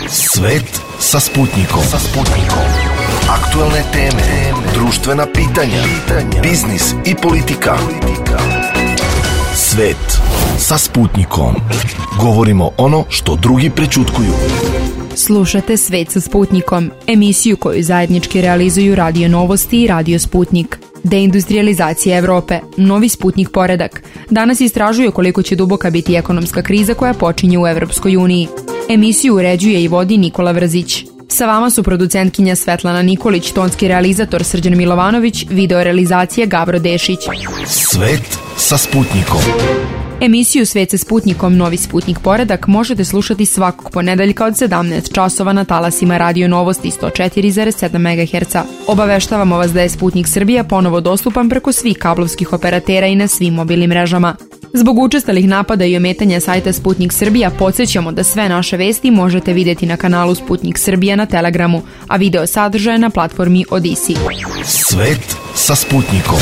Svet sa Sputnikom. Aktuelne teme, društvena pitanja, biznis i politika. Svet sa Sputnikom. Govorimo ono što drugi prećutkuju. Slušate Svet sa Sputnikom, emisiju koju zajednički realizuju Radio Novosti i Radio Sputnik. Deindustrializacija Evrope, novi Sputnik poredak. Danas istražuje koliko će duboka biti ekonomska kriza koja počinje u Evropskoj uniji. Emisiju uređuje i vodi Nikola Vrzić. Sa vama su producentkinja Svetlana Nikolić, tonski realizator Srđan Milovanović, video realizacija Gabro Dešić. Svet sa Sputnikom. Emisiju Svet sa Sputnikom, novi Sputnik poredak možete slušati svakog ponedeljka od 17 časova na talasima Radio Novosti 104,7 MHz. Obaveštavamo vas da je Sputnik Srbija ponovo dostupan preko svih kablovskih operatera i na svim mobilnim mrežama. Zbog učestalih napada i ometanja sajta Sputnik Srbija podsjećamo da sve naše vesti možete vidjeti na kanalu Sputnik Srbija na Telegramu, a video sadržaje na platformi Odisi. Svet sa Sputnikom.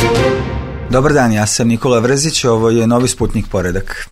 Dobar dan, ja sam Nikola Vrzić, ovo je novi Sputnik poredak.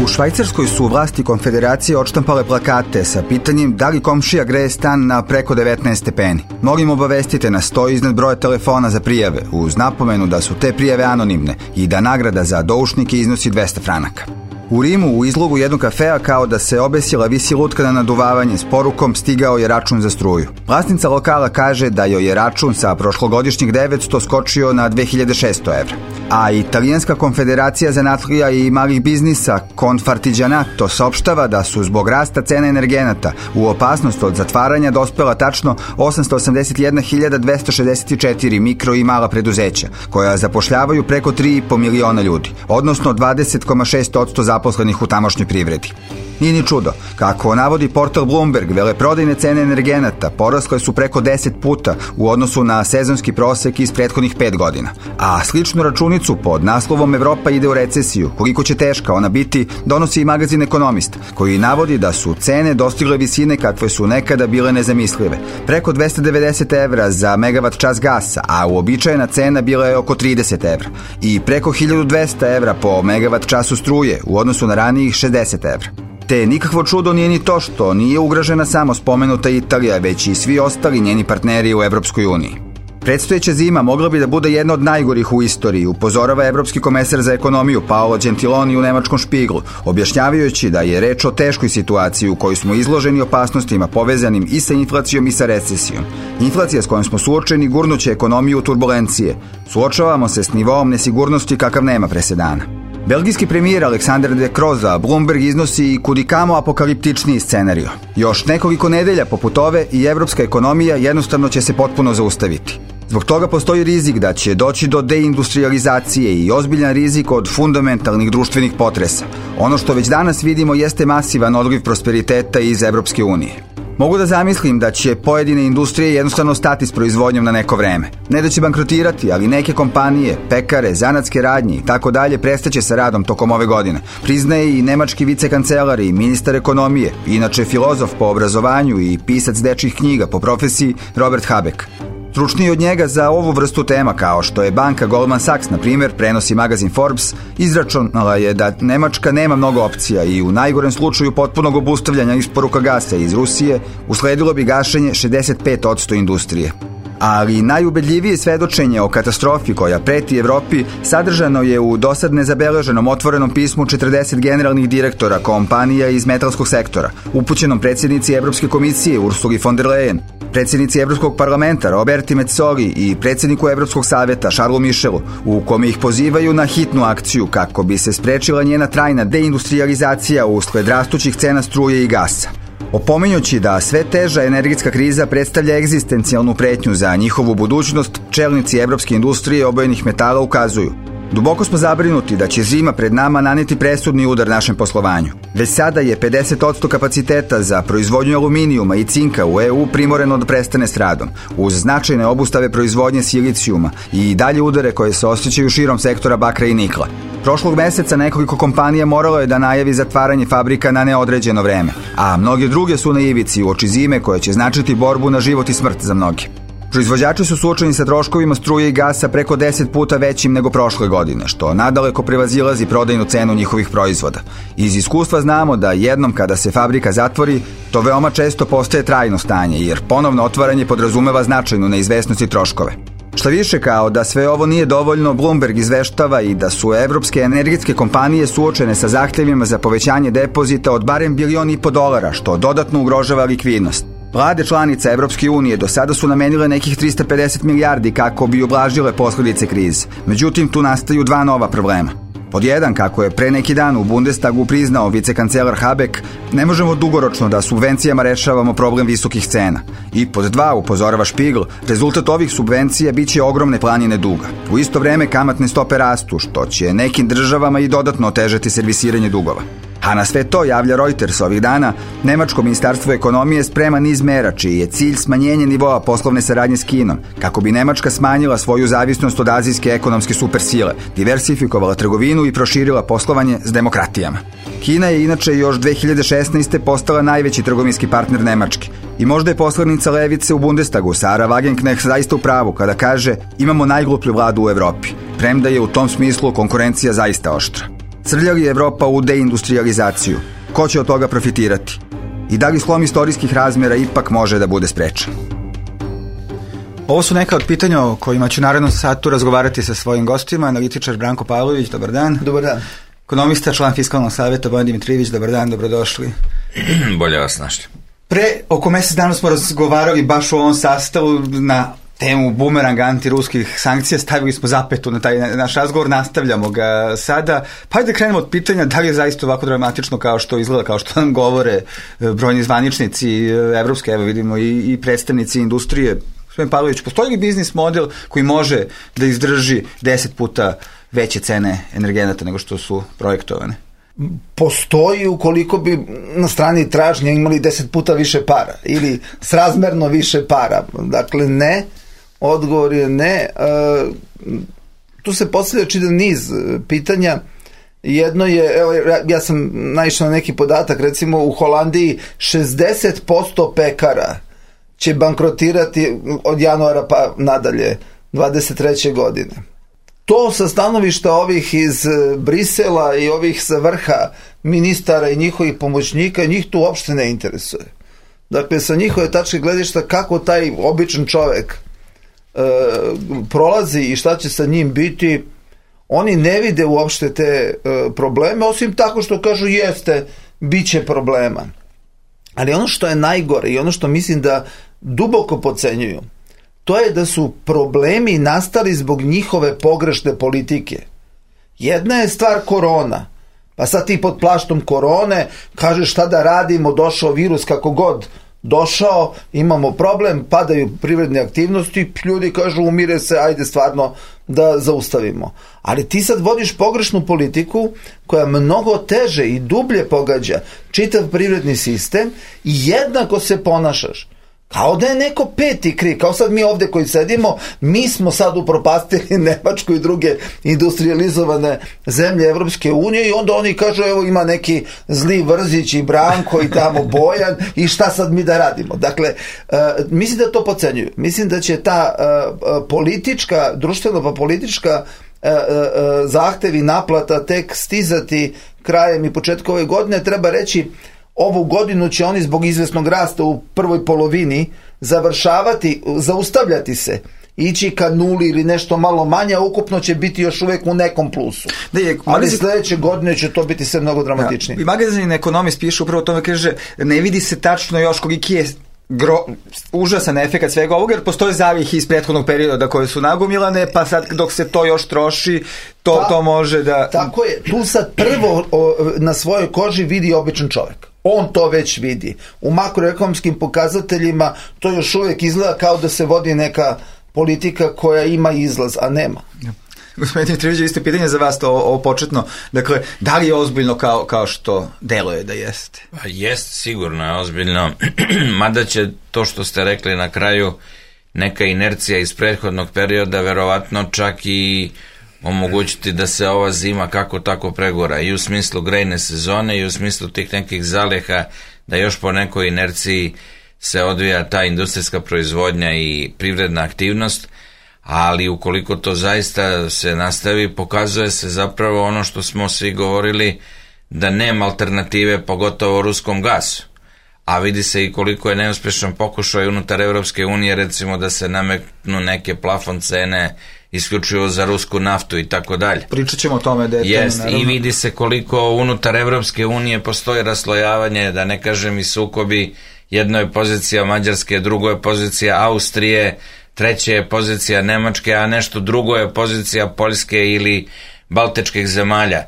U Švajcarskoj su vlasti konfederacije odštampale plakate sa pitanjem da li komšija greje stan na preko 19 stepeni. Molim obavestite nas, stoji iznad broja telefona za prijave, uz napomenu da su te prijave anonimne i da nagrada za doušnike iznosi 200 franaka. U Rimu, u izlogu jednog kafea, kao da se obesila, visi lutka na naduvavanje s porukom "Stigao je račun za struju". Vlasnica lokala kaže da joj je račun sa prošlogodišnjih 900 skočio na 2600 evra. A Italijanska konfederacija zanatlija i malih biznisa Confartigianato saopštava da su zbog rasta cena energenata u opasnost od zatvaranja dospela tačno 881.264 mikro i mala preduzeća, koja zapošljavaju preko 3,5 miliona ljudi, odnosno 20,6% zaposlenih u tamošnjoj privredi. Nije ni čudo, kako navodi portal Bloomberg, veleprodajne cene energenata porasle su preko 10 puta u odnosu na sezonski prosek iz prethodnih 5 godina. A sličnu računicu pod naslovom "Evropa ide u recesiju, koliko će teška ona biti", donosi i magazin Ekonomist, koji navodi da su cene dostigle visine kakve su nekada bile nezamislive. Preko 290 evra za megavat čas gasa, a uobičajena cena bila je oko 30 evra. I preko 1200 evra po megavat času struje u odnosu na ranijih 60 evra. Te nikakvo čudo nije ni to što nije ugrožena samo spomenuta Italija, već i svi ostali njeni partneri u Evropskoj uniji. Predstojeća zima mogla bi da bude jedna od najgorih u istoriji, upozorava evropski komesar za ekonomiju Paolo Gentiloni u nemačkom Špiglu, objašnjavajući da je reč o teškoj situaciji u kojoj smo izloženi opasnostima povezanim i sa inflacijom i sa recesijom. Inflacija s kojom smo suočeni gurnuće ekonomiju u turbulencije. Suočavamo se s nivoom nesigurnosti kakav nema presedana. Belgijski premijer Alexander De Croo za Bloomberg iznosi i kudikamo apokaliptičniji scenario. Još nekoliko nedelja poput ove i evropska ekonomija jednostavno će se potpuno zaustaviti. Zbog toga postoji rizik da će doći do deindustrializacije i ozbiljan rizik od fundamentalnih društvenih potresa. Ono što već danas vidimo jeste masivan odliv prosperiteta iz Evropske unije. Mogu da zamislim da će pojedine industrije jednostavno stati s proizvodnjom na neko vreme. Ne da će bankrotirati, ali neke kompanije, pekare, zanatske radnje i tako dalje prestaće sa radom tokom ove godine. Priznaje i nemački vicekancelar i ministar ekonomije, inače filozof po obrazovanju i pisac dečjih knjiga po profesiji, Robert Habeck. Stručniji od njega za ovu vrstu tema, kao što je banka Goldman Sachs, na primjer, prenosi magazin Forbes, izračunala je da Nemačka nema mnogo opcija i u najgorem slučaju potpunog obustavljanja isporuka gasa iz Rusije usledilo bi gašenje 65% industrije. Ali najubedljivije svedočenje o katastrofi koja preti Evropi sadržano je u dosad nezabeleženom otvorenom pismu 40 generalnih direktora kompanija iz metalskog sektora, upućenom predsjednici Evropske komisije Ursuli von der Leyen, predsjednici Evropskog parlamenta Roberti Metzoli i predsjedniku Evropskog savjeta Charlesu Michelu, u kome ih pozivaju na hitnu akciju kako bi se sprečila njena trajna deindustrializacija usled rastućih cena struje i gasa. Opominjući da sve teža energetska kriza predstavlja egzistencijalnu pretnju za njihovu budućnost, čelnici evropske industrije obojenih metala ukazuju: duboko smo zabrinuti da će zima pred nama naneti presudni udar našem poslovanju. Već sada je 50% kapaciteta za proizvodnju aluminijuma i cinka u EU primoreno da prestane s radom, uz značajne obustave proizvodnje silicijuma i dalje udare koje se osjećaju širom sektora bakra i nikla. Prošlog meseca nekoliko kompanija moralo je da najavi zatvaranje fabrika na neodređeno vreme, a mnoge druge su na ivici uoči zime koja će značiti borbu na život i smrt za mnoge. Proizvođači su suočeni sa troškovima struje i gasa preko 10 puta većim nego prošle godine, što nadaleko prevazilazi prodajnu cenu njihovih proizvoda. Iz iskustva znamo da jednom kada se fabrika zatvori, to veoma često postaje trajno stanje, jer ponovno otvaranje podrazumeva značajnu neizvesnost i troškove. Šta više, kao da sve ovo nije dovoljno, Bloomberg izveštava i da su evropske energetske kompanije suočene sa zahtevima za povećanje depozita od barem $1,5 biliona, što dodatno ugrožava likvidnost. Vlade članica Evropske unije do sada su namenile nekih 350 milijardi kako bi ublažile posledice krize. Međutim, tu nastaju dva nova problema. Pod jedan, kako je pre neki dan u Bundestagu priznao vicekancelar Habeck, ne možemo dugoročno da subvencijama rešavamo problem visokih cena. I pod dva, upozorava Spiegel, rezultat ovih subvencija biće ogromne planine duga. U isto vreme kamatne stope rastu, što će nekim državama i dodatno otežati servisiranje dugova. A na sve to, javlja Reuters ovih dana, Nemačko ministarstvo ekonomije sprema niz mera čiji je cilj smanjenje nivoa poslovne saradnje s Kinom, kako bi Nemačka smanjila svoju zavisnost od azijske ekonomske supersile, diversifikovala trgovinu i proširila poslovanje s demokratijama. Kina je inače još 2016. postala najveći trgovinski partner Nemačke i možda je poslanica levice u Bundestagu, Sara Wagenknecht, zaista u pravu kada kaže imamo najgluplju vladu u Evropi, premda je u tom smislu konkurencija zaista oštra. Srlja li Evropa u deindustrializaciju? Ko će od toga profitirati? I da li slom istorijskih razmjera ipak može da bude sprečen? Ovo su neka od pitanja o kojima ću narednom satu razgovarati sa svojim gostima. Analitičar Branko Pavlović, dobar dan. Dobar dan. Ekonomista, član Fiskalnog savjeta Bojan Dimitrijević, dobar dan, dobrodošli. Bolje vas našli. Pre oko mjesec dana smo razgovarali baš u ovom sastavu na temu bumeranga antiruskih sankcija, stavili smo zapetu na taj naš razgovor, nastavljamo ga sada. Pa ajde krenemo od pitanja da li je zaista ovako dramatično kao što izgleda, kao što nam govore brojni zvaničnici evropske, evo vidimo i predstavnici industrije. Gospodin Pavlović, postoji li biznis model koji može da izdrži 10 puta veće cene energenata nego što su projektovane? Postoji ukoliko bi na strani tražnje imali 10 puta više para ili srazmerno više para. Dakle, ne. Odgovor je ne. Tu se postavlja čitav niz pitanja. Jedno je, evo, ja sam naišao na neki podatak, recimo u Holandiji 60% pekara će bankrotirati od januara pa nadalje 23. godine. To sa stanovišta ovih iz Brisela i ovih sa vrha ministara i njihovih pomoćnika, njih tu uopšte ne interesuje. Dakle, sa njihove tačke gledišta kako taj običan čovek prolazi i šta će sa njim biti, oni ne vide uopšte te probleme, osim tako što kažu jeste, bit će problema. Ali ono što je najgore i ono što mislim da duboko podcenjuju, to je da su problemi nastali zbog njihove pogrešne politike. Jedna je stvar korona, pa sad ti pod plaštom korone kažeš šta da radimo, došao virus kako god došao, imamo problem, padaju privredne aktivnosti, ljudi kažu umire se, ajde stvarno da zaustavimo. Ali ti sad vodiš pogrešnu politiku koja mnogo teže i dublje pogađa čitav privredni sistem i jednako se ponašaš kao da je neko peti kriv, kao sad mi ovdje koji sedimo, mi smo sad upropastili Nemačku i druge industrializovane zemlje Evropske unije i onda oni kažu evo ima neki zli Vrzić i Branko i tamo Bojan i šta sad mi da radimo. Dakle, mislim da to podcenjuju. Mislim da će ta politička, društveno pa politička zahtevi naplata tek stizati krajem i početkom ove godine. Treba reći, ovu godinu će oni zbog izvesnog rasta u prvoj polovini završavati, zaustavljati se, ići ka nuli ili nešto malo manje, a ukupno će biti još uvijek u nekom plusu. Ali sljedeće godine će to biti sve mnogo dramatičnije. Ja, i magazin Ekonomist piše upravo o tome, kaže, ne vidi se tačno još koliki je užasan efekt svega ovoga, jer postoje zalihe iz prethodnog perioda koje su nagomilane, pa sad dok se to još troši, to može da... Tako je, tu sad prvo na svojoj koži vidi običan čovjek. On to već vidi. U makroekonomskim pokazateljima to još uvijek izgleda kao da se vodi neka politika koja ima izlaz, a nema. Gospodin Dimitrijević, isto pitanje za vas, ovo početno. Dakle, da li je ozbiljno kao što deluje da jeste? Pa jest, sigurno je ozbiljno. Mada će to što ste rekli na kraju, neka inercija iz prethodnog perioda verovatno čak i omogućiti da se ova zima kako tako pregora i u smislu grejne sezone i u smislu tih nekih zaliha, da još po nekoj inerciji se odvija ta industrijska proizvodnja i privredna aktivnost, ali ukoliko to zaista se nastavi, pokazuje se zapravo ono što smo svi govorili, da nema alternative, pogotovo ruskom gasu. A vidi se i koliko je neuspešan pokušaj unutar Evropske unije, recimo da se nametnu neke plafon cene isključivo za rusku naftu i tako dalje. Pričat ćemo o tome detaljno. I vidi se koliko unutar Evropske unije postoji raslojavanje, da ne kažem i sukobi. Jedno je pozicija Mađarske, drugo je pozicija Austrije, treće je pozicija Nemačke, a nešto drugo je pozicija Poljske ili Baltičkih zemalja.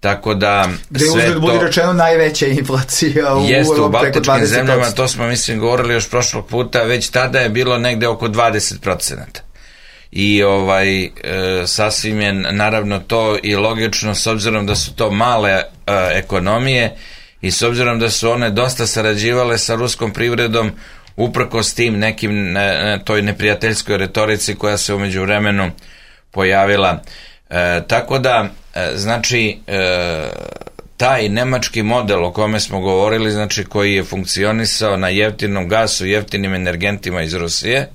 Tako da gde uzgled budi rečeno najveća inflacija u Baltičkim zemljama, to smo mislim govorili još prošlog puta, već tada je bilo negde oko 20%. I sasvim je naravno to i logično, s obzirom da su to male ekonomije i s obzirom da su one dosta sarađivale sa ruskom privredom, uprkos tim nekim toj neprijateljskoj retorici koja se u međuvremenu pojavila. Tako da, znači, taj nemački model o kome smo govorili, znači koji je funkcionisao na jeftinom gasu, jeftinim energentima iz Rusije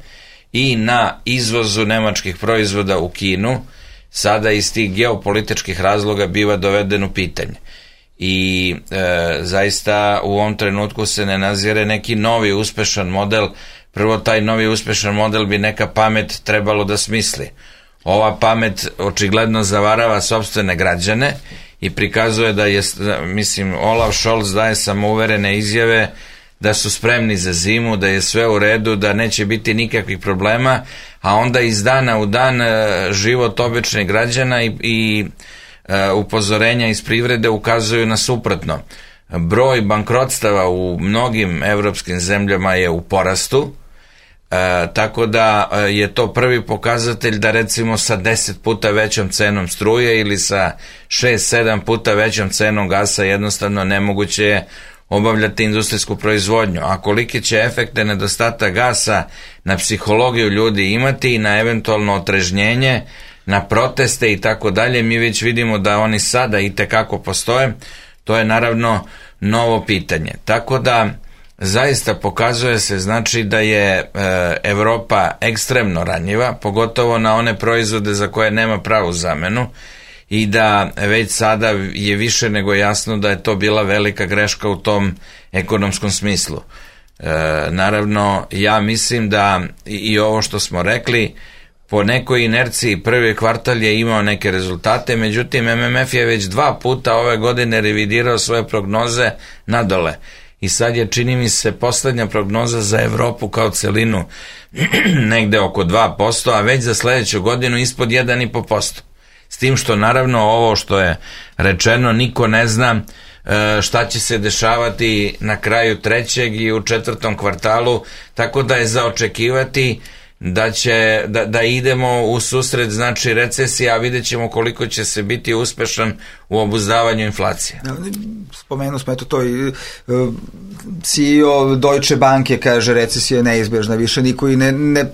i na izvozu nemačkih proizvoda u Kinu, sada iz tih geopolitičkih razloga biva doveden u pitanje. I zaista u ovom trenutku se ne nazire neki novi uspešan model. Prvo, taj novi uspešan model bi neka pamet trebalo da smisli. Ova pamet očigledno zavarava sopstvene građane i prikazuje da je, mislim, Olaf Scholz daje samouverene izjave da su spremni za zimu, da je sve u redu, da neće biti nikakvih problema, a onda iz dana u dan život običnih građana i upozorenja iz privrede ukazuju na suprotno. Broj bankrotstava u mnogim evropskim zemljama je u porastu, tako da je to prvi pokazatelj da recimo sa 10 puta većom cenom struje ili sa 6-7 puta većom cenom gasa jednostavno nemoguće je obavljati industrijsku proizvodnju. A kolike će efekte nedostatak gasa na psihologiju ljudi imati i na eventualno otrežnjenje, na proteste i tako dalje, mi već vidimo da oni sada i tekako postoje. To je naravno novo pitanje. Tako da zaista pokazuje se, znači, da je Evropa ekstremno ranjiva, pogotovo na one proizvode za koje nema pravu zamenu, i da već sada je više nego jasno da je to bila velika greška u tom ekonomskom smislu. Naravno, ja mislim da i ovo što smo rekli, po nekoj inerciji prvi kvartal je imao neke rezultate, međutim MMF je već 2 puta ove godine revidirao svoje prognoze nadole. I sad je, čini mi se, poslednja prognoza za Evropu kao celinu negde oko 2%, a već za sledeću godinu ispod 1,5%. S tim što naravno ovo što je rečeno niko ne zna šta će se dešavati na kraju 3. i u 4. kvartalu, tako da je za očekivati da idemo u susret, znači, recesije, a vidjet ćemo koliko će se biti uspešan u obuzdavanju inflacije. Spomenuo smo to i CEO Deutsche Banke kaže recesija je neizbežna, više niko i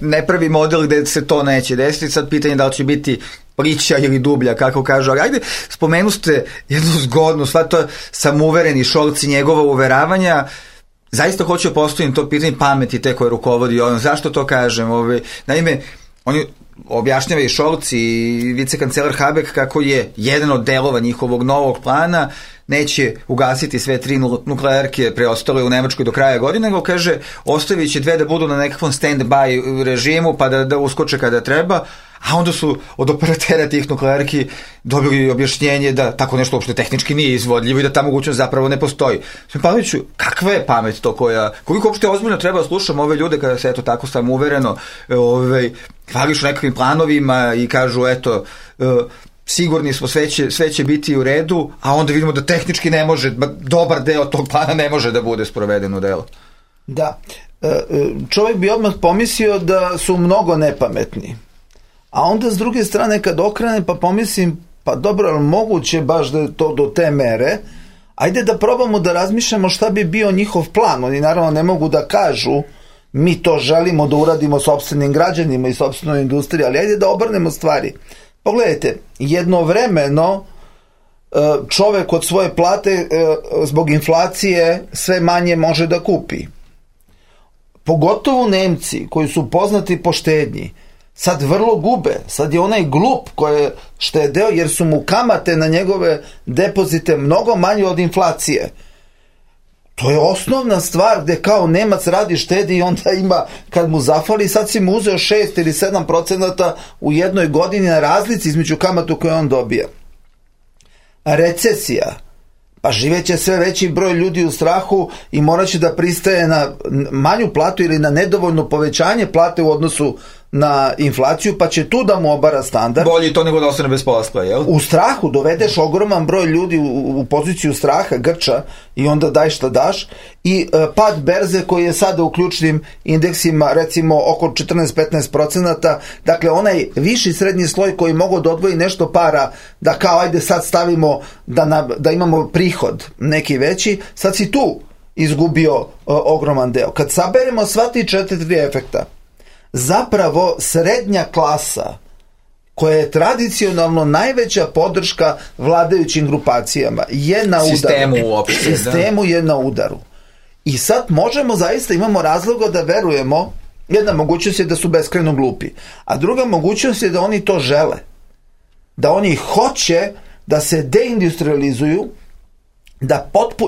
ne pravi model gde se to neće desiti. Sad pitanje da li će biti priča ili dublja, kako kažu, ali ajde, spomenu ste jednu zgodnu, sva to samouvereni Scholz i njegova uveravanja. Zaista hoću da postavim to pitanje pameti te koje rukovodi ono. Zašto to kažem? Naime, oni objašnjava i Scholz i vicekancelar Habeck kako je jedan od delova njihovog novog plana neće ugasiti sve 3 nuklearke preostale u Nemačkoj do kraja godine, nego kaže ostavit će 2 da budu na nekakvom stand-by režimu pa da uskoče kada treba, a onda su od operatera tih nuklearki dobili objašnjenje da tako nešto uopšte tehnički nije izvodljivo i da ta mogućnost zapravo ne postoji. Paviću, kakva je pamet to koliko uopšte ozbiljno treba da slušamo ove ljude kada se eto tako samouvereno hvališu nekakvim planovima i kažu eto sigurni smo sve će biti u redu, a onda vidimo da tehnički ne može, dobar deo tog plana ne može da bude sproveden u delo. Da, čovjek bi odmah pomislio da su mnogo nepametni. A onda s druge strane kad okrene pa pomislim, pa dobro, ali moguće baš da je to do te mere, ajde da probamo da razmišljamo šta bi bio njihov plan. Oni naravno ne mogu da kažu mi to želimo da uradimo sopstvenim građanima i sopstvenoj industriji, ali ajde da obrnemo stvari. Pogledajte, jednovremeno čovek od svoje plate zbog inflacije sve manje može da kupi. pogotovo Nemci koji su poznati po štednji, sad vrlo gube. Sad je onaj glup koji je štedeo jer su mu kamate na njegove depozite mnogo manje od inflacije. To je osnovna stvar gde kao Nemac radi, štedi i onda ima, kad mu zafali, sad si mu uzeo 6 ili 7% u jednoj godini na razlici između kamatu koje on dobija. Recesija. Pa živeće sve veći broj ljudi u strahu i morat će da pristaje na manju platu ili na nedovoljno povećanje plate u odnosu na inflaciju, pa će tu da mu obara standard. Bolje to nego da ostane bez posla, jel? U strahu dovedeš ogroman broj ljudi u poziciju straha, grča, i onda daj šta daš. I pad berze koji je sada u ključnim indeksima recimo oko 14-15%, dakle onaj viši srednji sloj koji mogu da odvoji nešto para, da kao ajde sad stavimo da imamo prihod neki veći, sad si tu izgubio ogroman deo. Kad saberemo sva ti 4 efekta, zapravo srednja klasa, koja je tradicionalno najveća podrška vladajućim grupacijama, je na udaru. Sistemu je na udaru. I sad možemo zaista, imamo razloga da verujemo, jedna mogućnost je da su beskrajno glupi, a druga mogućnost je da oni to žele. Da oni hoće da se deindustrializuju,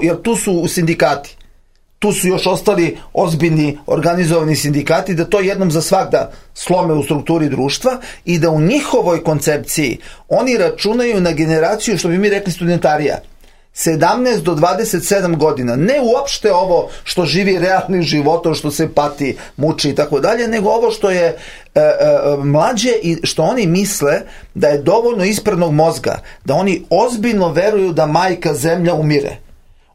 jer tu su u sindikati. Tu su još ostali ozbiljni organizovani sindikati, da to jednom za svakda slome u strukturi društva i da u njihovoj koncepciji oni računaju na generaciju, što bi mi rekli, studentarija. 17 do 27 godina. Ne uopšte ovo što živi realnim životom, što se pati, muči i tako dalje, nego ovo što je mlađe i što oni misle da je dovoljno ispranog mozga, da oni ozbiljno veruju da majka zemlja umire.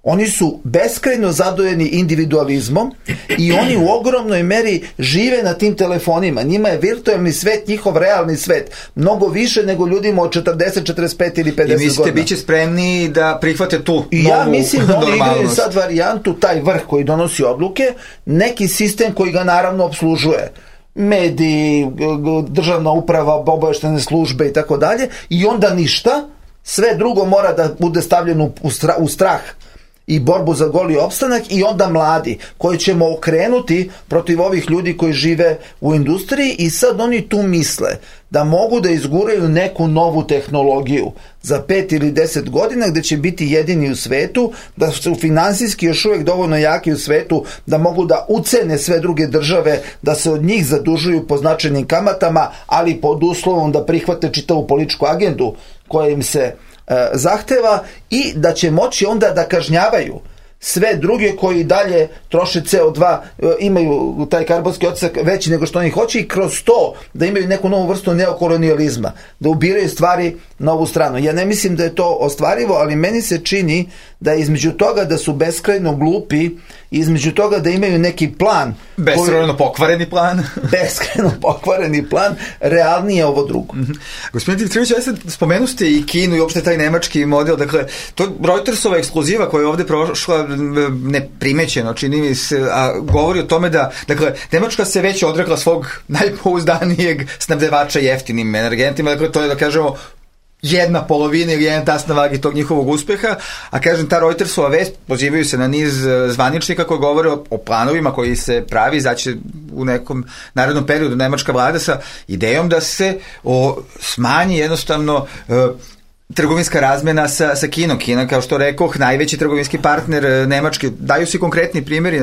Oni su beskrajno zadojeni individualizmom i oni u ogromnoj meri žive na tim telefonima. Njima je virtualni svet njihov realni svet. Mnogo više nego ljudima od 40, 45 ili 50 godina. I mislite, bit će spremni da prihvate tu novu normalnost? Ja mislim da oni igraju normalnost. sad varijantu, taj vrh koji donosi odluke, neki sistem koji ga naravno obslužuje. Mediji, državna uprava, obaveštene službe i tako dalje. I onda ništa. Sve drugo mora da bude stavljeno u strah i borbu za goli opstanak, i onda mladi koji ćemo okrenuti protiv ovih ljudi koji žive u industriji, i sad oni tu misle da mogu da izguraju neku novu tehnologiju za 5 ili 10 godina gde će biti jedini u svetu, da su finansijski još uvijek dovoljno jaki u svetu da mogu da ucene sve druge države, da se od njih zadužuju po značajnim kamatama, ali pod uslovom da prihvate čitavu političku agendu koja im se zahteva, i da će moći onda da kažnjavaju sve druge koji dalje troše CO2, imaju taj karbonski otisak veći nego što oni hoće, i kroz to da imaju neku novu vrstu neokolonijalizma, da ubiraju stvari na ovu stranu. Ja ne mislim da je to ostvarivo, ali meni se čini da između toga da su beskrajno glupi, između toga da imaju neki plan, beskrajno pokvareni plan, beskrajno pokvareni plan, realnije ovo drugo. Gospodin Dimitrijević, ja sad spomenu ste i Kinu i uopšte taj nemački model, dakle, to Reutersova ekskluziva koja je ovde prošla neprimećeno, čini mi se, a govori o tome da, dakle, Nemačka se već odrekla svog najpouzdanijeg snabdevača jeftinim energentima, dakle, to je, da kažemo, 1/2 ili 1 tas na vagi tog njihovog uspeha, a kažem, ta Reutersova vest, pozivaju se na niz zvaničnika koji govore o planovima koji se pravi, znači u nekom narednom periodu nemačka vlada sa idejom da se smanji jednostavno trgovinska razmena sa Kinom. Kina, kao što rekoh, najveći trgovinski partner Nemačke. Daju se konkretni primjeri,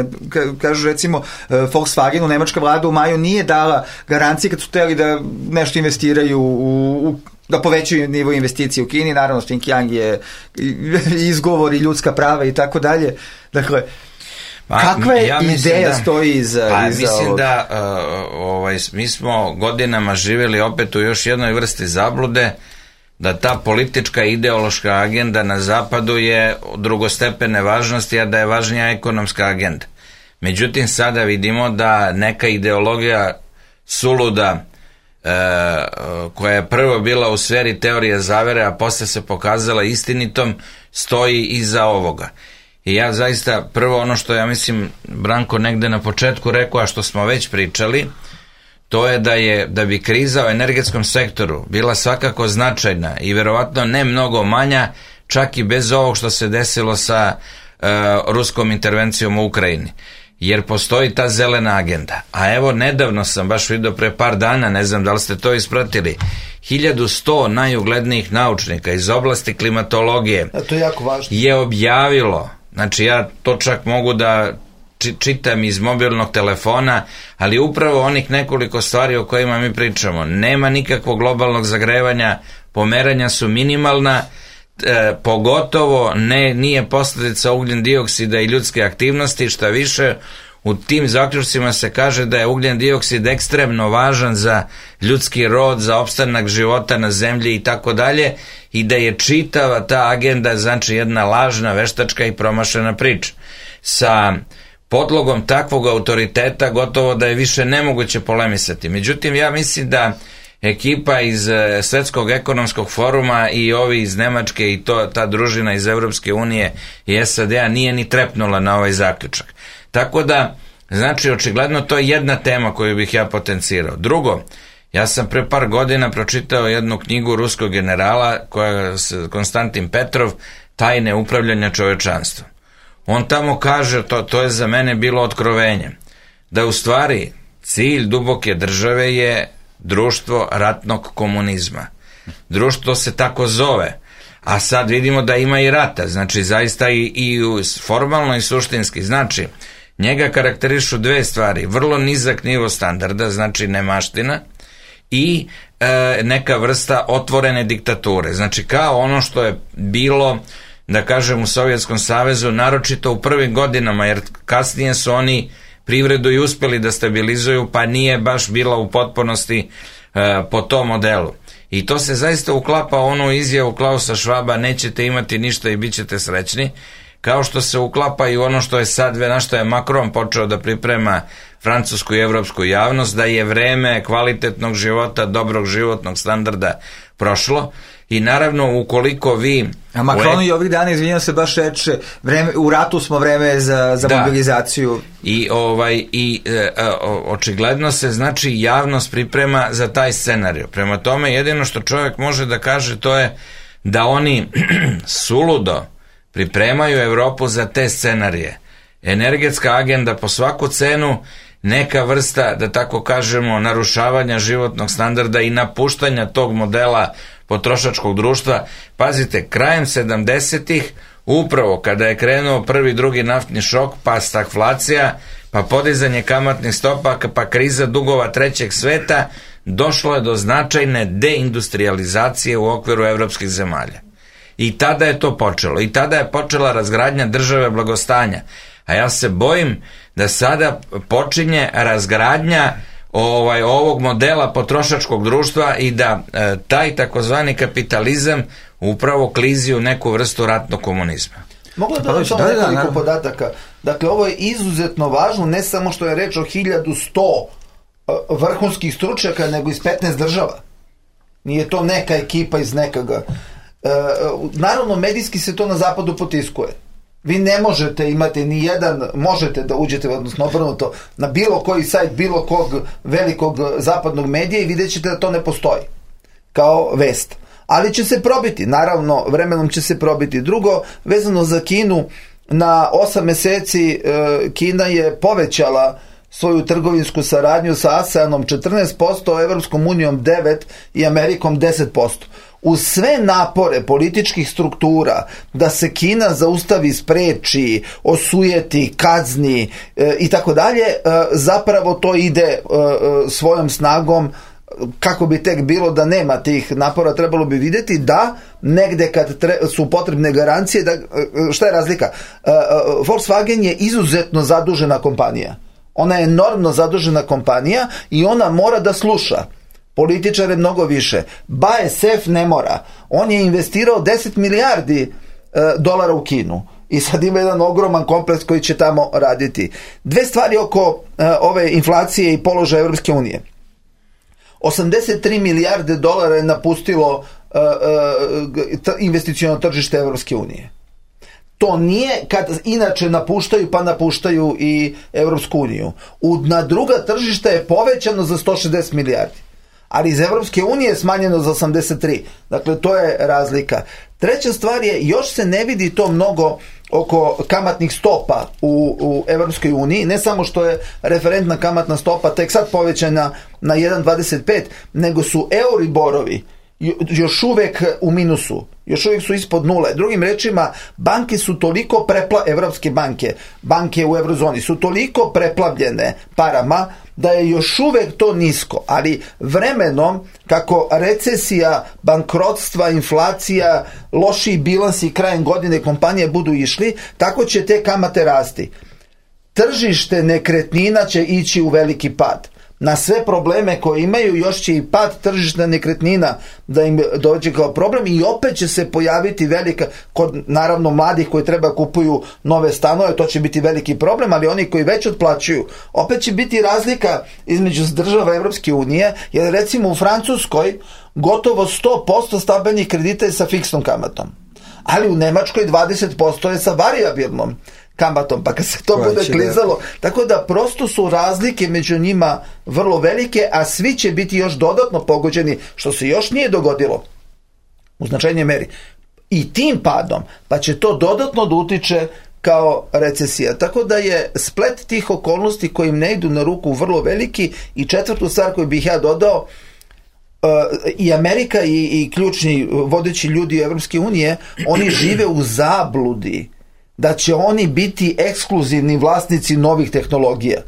kažu recimo Volkswagenu, nemačka vlada u maju nije dala garancije kad su hteli da nešto investiraju da povećaju nivo investicije u Kini, naravno Xinjiang je izgovor i ljudska prava i tako dalje. Dakle, kakva je ideja stoji iza mislim da mi smo godinama živjeli opet u još jednoj vrsti zablude, da ta politička ideološka agenda na zapadu je drugostepene važnosti, a da je važnija ekonomska agenda. Međutim, sada vidimo da neka ideologija suluda, koja je prvo bila u sferi teorije zavere, a posle se pokazala istinitom, stoji iza ovoga. I ja zaista, prvo ono što ja mislim Branko negde na početku rekao, a što smo već pričali, to je da bi kriza u energetskom sektoru bila svakako značajna i verovatno ne mnogo manja, čak i bez ovog što se desilo sa ruskom intervencijom u Ukrajini. jer postoji ta zelena agenda. A evo, nedavno sam baš vidio pre par dana, ne znam da li ste to ispratili, 1100 najuglednijih naučnika iz oblasti klimatologije to je jako važno. Je objavilo, znači ja to čak mogu da čitam iz mobilnog telefona, ali upravo onih nekoliko stvari o kojima mi pričamo. Nema nikakvog globalnog zagrevanja, pomeranja su minimalna, pogotovo nije posljedica ugljen dioksida i ljudske aktivnosti, šta više, u tim zaključcima se kaže da je ugljen dioksid ekstremno važan za ljudski rod, za opstanak života na zemlji i tako dalje, i da je čitava ta agenda znači jedna lažna, veštačka i promašena priča. Sa podlogom takvog autoriteta gotovo da je više nemoguće polemisati. Međutim, ja mislim da ekipa iz Svetskog ekonomskog foruma i ovi iz Nemačke i ta družina iz Evropske unije i SAD-a nije ni trepnula na ovaj zaključak. Tako da, znači, očigledno to je jedna tema koju bih ja potencirao. Drugo, ja sam pre par godina pročitao jednu knjigu ruskog generala, Konstantin Petrov, Tajne upravljanja čovečanstvom. On tamo kaže, to je za mene bilo otkrovenje, da u stvari cilj duboke države je društvo ratnog komunizma. Društvo se tako zove, a sad vidimo da ima i rata, znači zaista i formalno i suštinski. Znači, njega karakterišu dve stvari, vrlo nizak nivo standarda, znači nemaština, i neka vrsta otvorene diktature. Znači, kao ono što je bilo, da kažem, u Sovjetskom savezu, naročito u prvim godinama, jer kasnije su oni privredu i uspeli da stabilizuju, pa nije baš bila u potpunosti po tom modelu. I to se zaista uklapa onu izjavu Klausa Schwaba, nećete imati ništa i bit ćete srećni, kao što se uklapa i ono što je sad, na što je Macron počeo da priprema francusku i evropsku javnost, da je vreme kvalitetnog života, dobrog životnog standarda prošlo. I naravno, ukoliko vi... A Macron i ovih dana, izvinjam se, baš reče, u ratu smo, vreme za mobilizaciju. I očigledno se, znači, javnost priprema za taj scenarij. Prema tome, jedino što čovjek može da kaže, to je da oni suludo pripremaju Evropu za te scenarije. Energetska agenda po svaku cenu, neka vrsta, da tako kažemo, narušavanja životnog standarda i napuštanja tog modela potrošačkog društva. Pazite, krajem 70-ih, upravo kada je krenuo prvi, drugi naftni šok, pa stagflacija, pa podizanje kamatnih stopa, pa kriza dugova trećeg sveta, došlo je do značajne deindustrializacije u okviru evropskih zemalja. I tada je to počelo. I tada je počela razgradnja države blagostanja. A ja se bojim da sada počinje razgradnja ovog modela potrošačkog društva i da taj takozvani kapitalizam upravo klizi u neku vrstu ratnog komunizma. Mogu da dodam samo nekoliko podataka. Dakle, ovo je izuzetno važno, ne samo što je reč o 1100 vrhunskih stručnjaka, nego iz 15 država. Nije to neka ekipa iz nekaga. Naravno, medijski se to na zapadu potiskuje. Vi ne možete imati ni jedan, možete da uđete, odnosno obrnuto, na bilo koji sajt bilo kog velikog zapadnog medija i vidjet ćete da to ne postoji kao vest. Ali će se probiti, naravno, vremenom će se probiti. Drugo, vezano za Kinu, na 8 meseci Kina je povećala svoju trgovinsku saradnju sa ASEANom 14%, Evropskom unijom 9% i Amerikom 10%. Uz sve napore političkih struktura da se Kina zaustavi, spreči, osujeti, kazni i tako dalje, zapravo to ide svojom snagom. Kako bi tek bilo da nema tih napora, trebalo bi vidjeti da negde kad su potrebne garancije, šta je razlika? Volkswagen je izuzetno zadužena kompanija. Ona je enormno zadužena kompanija i ona mora da sluša političare mnogo više. BASF ne mora. On je investirao 10 milijardi dolara u Kinu i sad ima jedan ogroman kompleks koji će tamo raditi. Dve stvari oko ove inflacije i položaja Evropske unije. 83 milijarde dolara je napustilo investiciono tržište Evropske unije. To nije kad inače napuštaju, pa napuštaju i Evropsku uniju. Na druga tržišta je povećano za 160 milijardi. Ali iz Evropske unije je smanjeno za 83. Dakle, to je razlika. Treća stvar je, još se ne vidi to mnogo oko kamatnih stopa u Evropskoj uniji, ne samo što je referentna kamatna stopa tek sad povećana na 1,25, nego su Euriborovi još uvek u minusu, još uvijek su ispod nule. Drugim rečima, banke su toliko evropske banke u eurozoni su toliko preplavljene parama da je još uvek to nisko, ali vremenom, kako recesija, bankrotstva, inflacija, lošiji bilansi krajem godine kompanije budu išli, tako će te kamate rasti. Tržište nekretnina će ići u veliki pad. Na sve probleme koje imaju još će i pad tržišta nekretnina da im dođe kao problem i opet će se pojaviti velika, kod naravno mladih koji treba kupuju nove stanove, to će biti veliki problem, ali oni koji već otplaćuju, opet će biti razlika između država Evropske unije, jer recimo u Francuskoj gotovo 100% stambenih kredita je sa fiksnom kamatom, ali u Nemačkoj 20% je sa varijabilnom kamatom, pa kad se to bude klizalo, tako da prosto su razlike među njima vrlo velike, a svi će biti još dodatno pogođeni, što se još nije dogodilo u značajnoj meri, i tim padom, pa će to dodatno da utiče kao recesija. Tako da je splet tih okolnosti koji im ne idu na ruku vrlo veliki. I četvrtu stvar koju bih ja dodao, i Amerika i ključni vodeći ljudi Evropske unije, oni žive u zabludi da će oni biti ekskluzivni vlasnici novih tehnologija.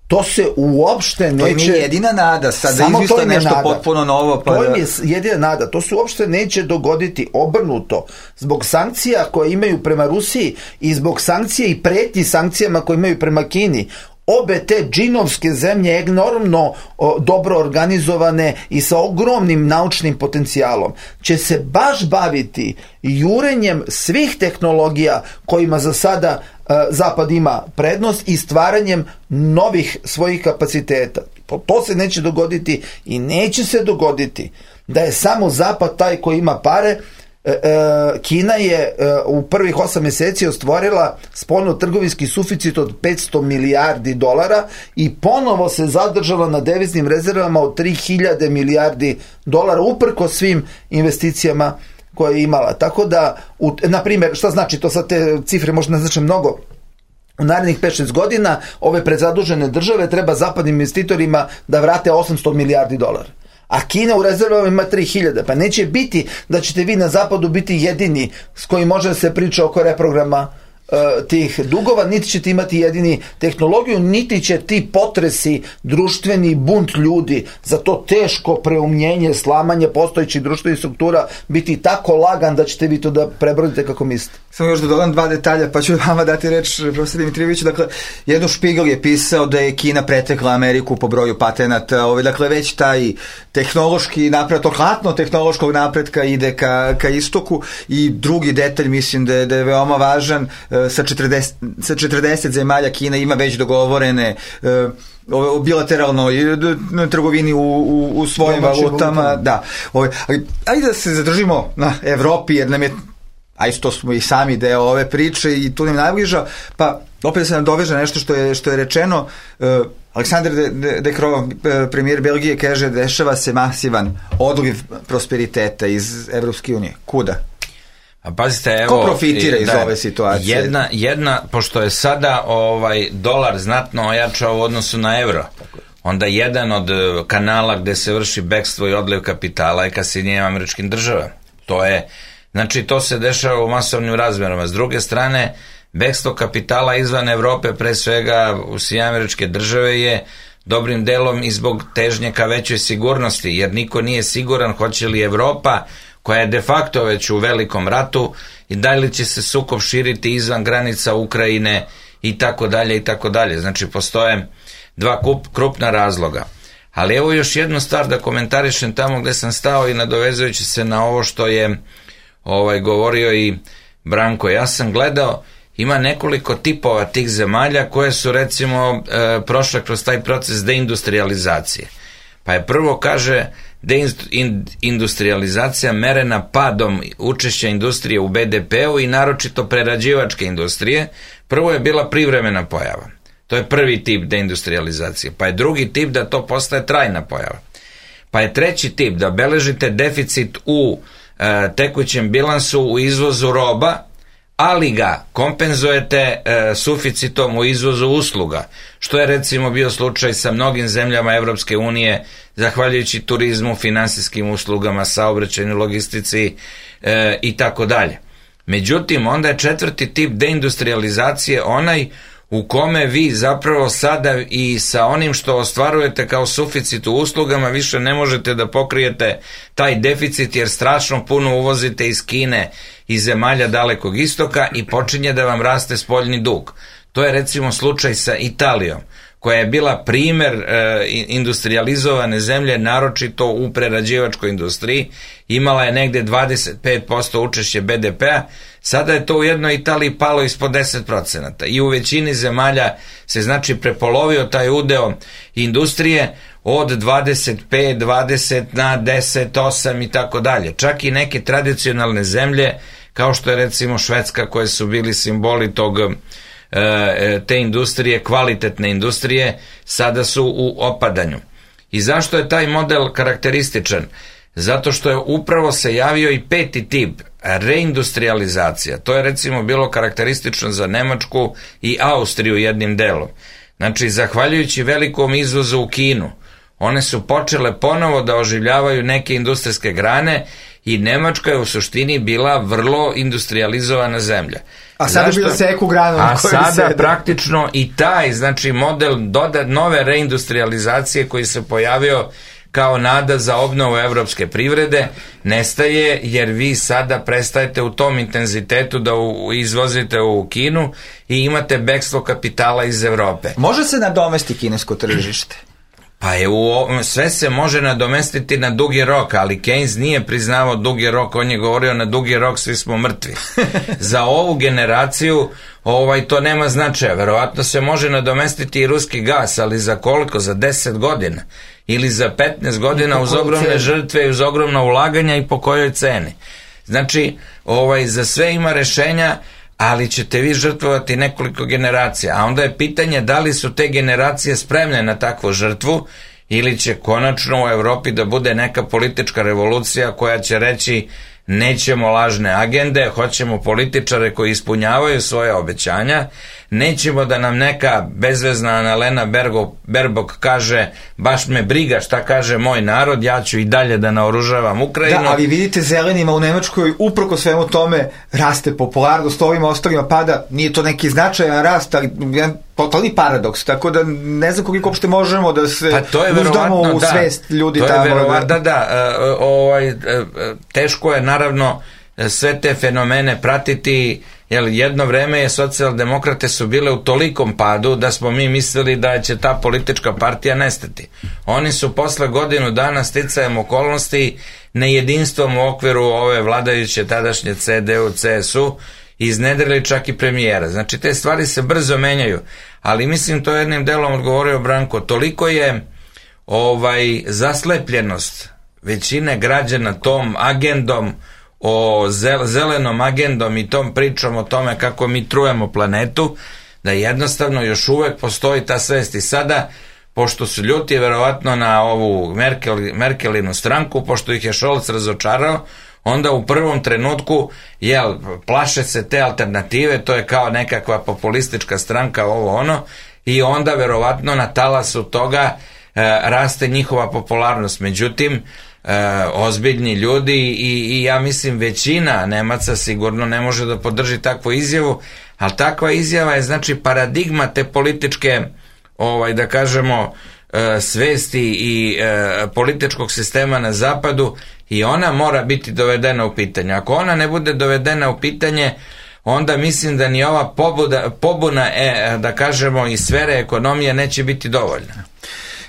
To se uopšte neće... To im je jedina nada, sad da izmisle nešto potpuno novo. Pa to im je jedina nada, to se uopšte neće dogoditi, obrnuto. Zbog sankcija koje imaju prema Rusiji i zbog sankcija i pretnji sankcijama koje imaju prema Kini, obe te džinovske zemlje enormno dobro organizovane i sa ogromnim naučnim potencijalom će se baš baviti jurenjem svih tehnologija kojima za sada Zapad ima prednost i stvaranjem novih svojih kapaciteta. To se neće dogoditi i neće se dogoditi da je samo Zapad taj koji ima pare. Kina je u prvih 8 mjeseci ostvarila spoljno-trgovinski suficit od 500 milijardi dolara i ponovo se zadržala na deviznim rezervama od 3000 milijardi dolara uprkos svim investicijama koje je imala. Tako da, na primjer, šta znači to, sad te cifre možda ne znači mnogo, u narednih 5-6 godina ove prezadužene države treba zapadnim investitorima da vrate 800 milijardi dolara. A Kina u rezervama ima 3000, pa neće biti da ćete vi na zapadu biti jedini s kojim može da se priča oko reprograma tih dugova, niti ćete imati jedini tehnologiju, niti će ti potresi, društveni bunt ljudi za to teško preumljenje, slamanje postojećih društvenih struktura biti tako lagan da ćete vi to da prebrodite kako mislite. Samo još da dodam 2 detalja, pa ću vama dati reč, profesor Dimitrijeviću. Dakle, jedno Špigel je pisao da je Kina pretekla Ameriku po broju patenata, dakle već taj tehnološki napredak, hlatno tehnološkog napretka ide ka istoku. I drugi detalj, mislim da je veoma važan, sa 40 zemalja Kina ima već dogovorene o bilateralnoj trgovini u svojim valutama. Da. Ajde da se zadržimo na Evropi, jer nam je, a isto smo i sami deo ove priče i tu nam najbliža, pa opet da se nam doveže nešto što je rečeno. Aleksandar De Croo, premijer Belgije, kaže dešava se masivan odliv prosperiteta iz Evropske unije. Kuda? A pazite, evo, ko profitira iz ove situacije? Jedna, pošto je sada dolar znatno ojačao u odnosu na evro, onda jedan od kanala gde se vrši bekstvo i odliv kapitala je ka Sjedinjenim Američkim Državama. To se dešava u masovnim razmerama. S druge strane, bekstvo kapitala izvan Evrope, pre svega u Sjedinjene Američke Države, je dobrim delom i zbog težnje ka većoj sigurnosti, jer niko nije siguran hoće li Evropa, koja je de facto već u velikom ratu, i da li će se sukob širiti izvan granica Ukrajine i tako dalje i tako dalje. Znači, postoje dva krupna razloga. Ali evo još jednu stvar da komentarišem tamo gde sam stao i nadovezujući se na ovo što je govorio i Branko. Ja sam gledao, ima nekoliko tipova tih zemalja koje su recimo prošle kroz taj proces deindustrializacije. Pa je prvo, kaže, deindustrializacija merena padom učešća industrije u BDP-u i naročito prerađivačke industrije. Prvo je bila privremena pojava. To je prvi tip deindustrializacije. Pa je drugi tip da to postaje trajna pojava. Pa je treći tip da beležite deficit u tekućem bilansu u izvozu roba, ali ga kompenzujete suficitom u izvozu usluga, što je recimo bio slučaj sa mnogim zemljama Evropske unije, zahvaljujući turizmu, finansijskim uslugama, saobraćajnoj logistici i tako dalje. Međutim, onda je četvrti tip deindustrializacije onaj u kome vi zapravo sada i sa onim što ostvarujete kao suficit u uslugama više ne možete da pokrijete taj deficit jer strašno puno uvozite iz Kine i zemalja Dalekog istoka i počinje da vam raste spoljni dug. To je recimo slučaj sa Italijom, koja je bila primer industrializovane zemlje, naročito u prerađivačkoj industriji, imala je negde 25% učešće BDP-a, sada je to u jednoj Italiji palo ispod 10% i u većini zemalja se znači prepolovio taj udeo industrije od 25, 20 na 10, 8 i tako dalje. Čak i neke tradicionalne zemlje, kao što je recimo Švedska, koje su bili simboli te industrije, kvalitetne industrije, sada su u opadanju. I zašto je taj model karakterističan? Zato što je upravo se javio i peti tip, reindustrializacija. To je recimo bilo karakteristično za Nemačku i Austriju jednim delom. Znači, zahvaljujući velikom izvozu u Kinu, one su počele ponovo da oživljavaju neke industrijske grane i Nemačka je u suštini bila vrlo industrializovana zemlja. A sada bi da seku granu. A sada praktično i taj, znači model nove reindustrializacije koji se pojavio kao nada za obnovu evropske privrede nestaje, jer vi sada prestajete u tom intenzitetu da izvozite u Kinu i imate bekstvo kapitala iz Evrope. Može se nadomesti kinesko tržište? Pa sve se može nadomestiti na dugi rok, ali Keynes nije priznavao dugi rok, on je govorio na dugi rok svi smo mrtvi. Za ovu generaciju to nema značaja, verovatno se može nadomestiti i ruski gas, ali za koliko? Za 10 godina ili za 15 godina uz ogromne žrtve i uz ogromna ulaganja i po kojoj ceni. Znači, za sve ima rešenja, ali ćete vi žrtvovati nekoliko generacija, a onda je pitanje da li su te generacije spremne na takvu žrtvu ili će konačno u Evropi da bude neka politička revolucija koja će reći nećemo lažne agende, hoćemo političare koji ispunjavaju svoje obećanja, nećemo da nam neka bezvezna Annalena Baerbock kaže baš me briga šta kaže moj narod, ja ću i dalje da naoružavam Ukrajinu. Da, ali vidite, zelenima u Nemačkoj uprko svemu tome raste popularnost, ovima ostalima pada, nije to neki značajan rast, ali jedan totalni paradoks, tako da ne znam koliko uopšte možemo da se uzdamo u svest ljudi to tamo. Je verovatno, teško je naravno sve te fenomene pratiti, jer jedno vreme je socijaldemokrate su bile u tolikom padu da smo mi mislili da će ta politička partija nestati. Oni su posle godinu dana sticajem okolnosti nejedinstvom u okviru ove vladajuće tadašnje CDU, CSU iznedrili čak i premijera. Znači te stvari se brzo menjaju, ali mislim to jednim delom odgovorio Branko, toliko je zaslepljenost većine građana tom agendom o zelenom agendom i tom pričom o tome kako mi trujemo planetu, da jednostavno još uvek postoji ta svest. I sada, pošto su ljuti verovatno na ovu Merkelinu stranku, pošto ih je Scholz razočarao, onda u prvom trenutku plaše se te alternative, to je kao nekakva populistička stranka, i onda verovatno na talasu toga raste njihova popularnost. Međutim, ozbiljni ljudi i ja mislim većina Nemaca sigurno ne može da podrži takvu izjavu, ali takva izjava je znači paradigma te političke da kažemo svesti i političkog sistema na zapadu i ona mora biti dovedena u pitanje. Ako ona ne bude dovedena u pitanje, onda mislim da ni ova pobuna da kažemo iz sfere ekonomije neće biti dovoljna.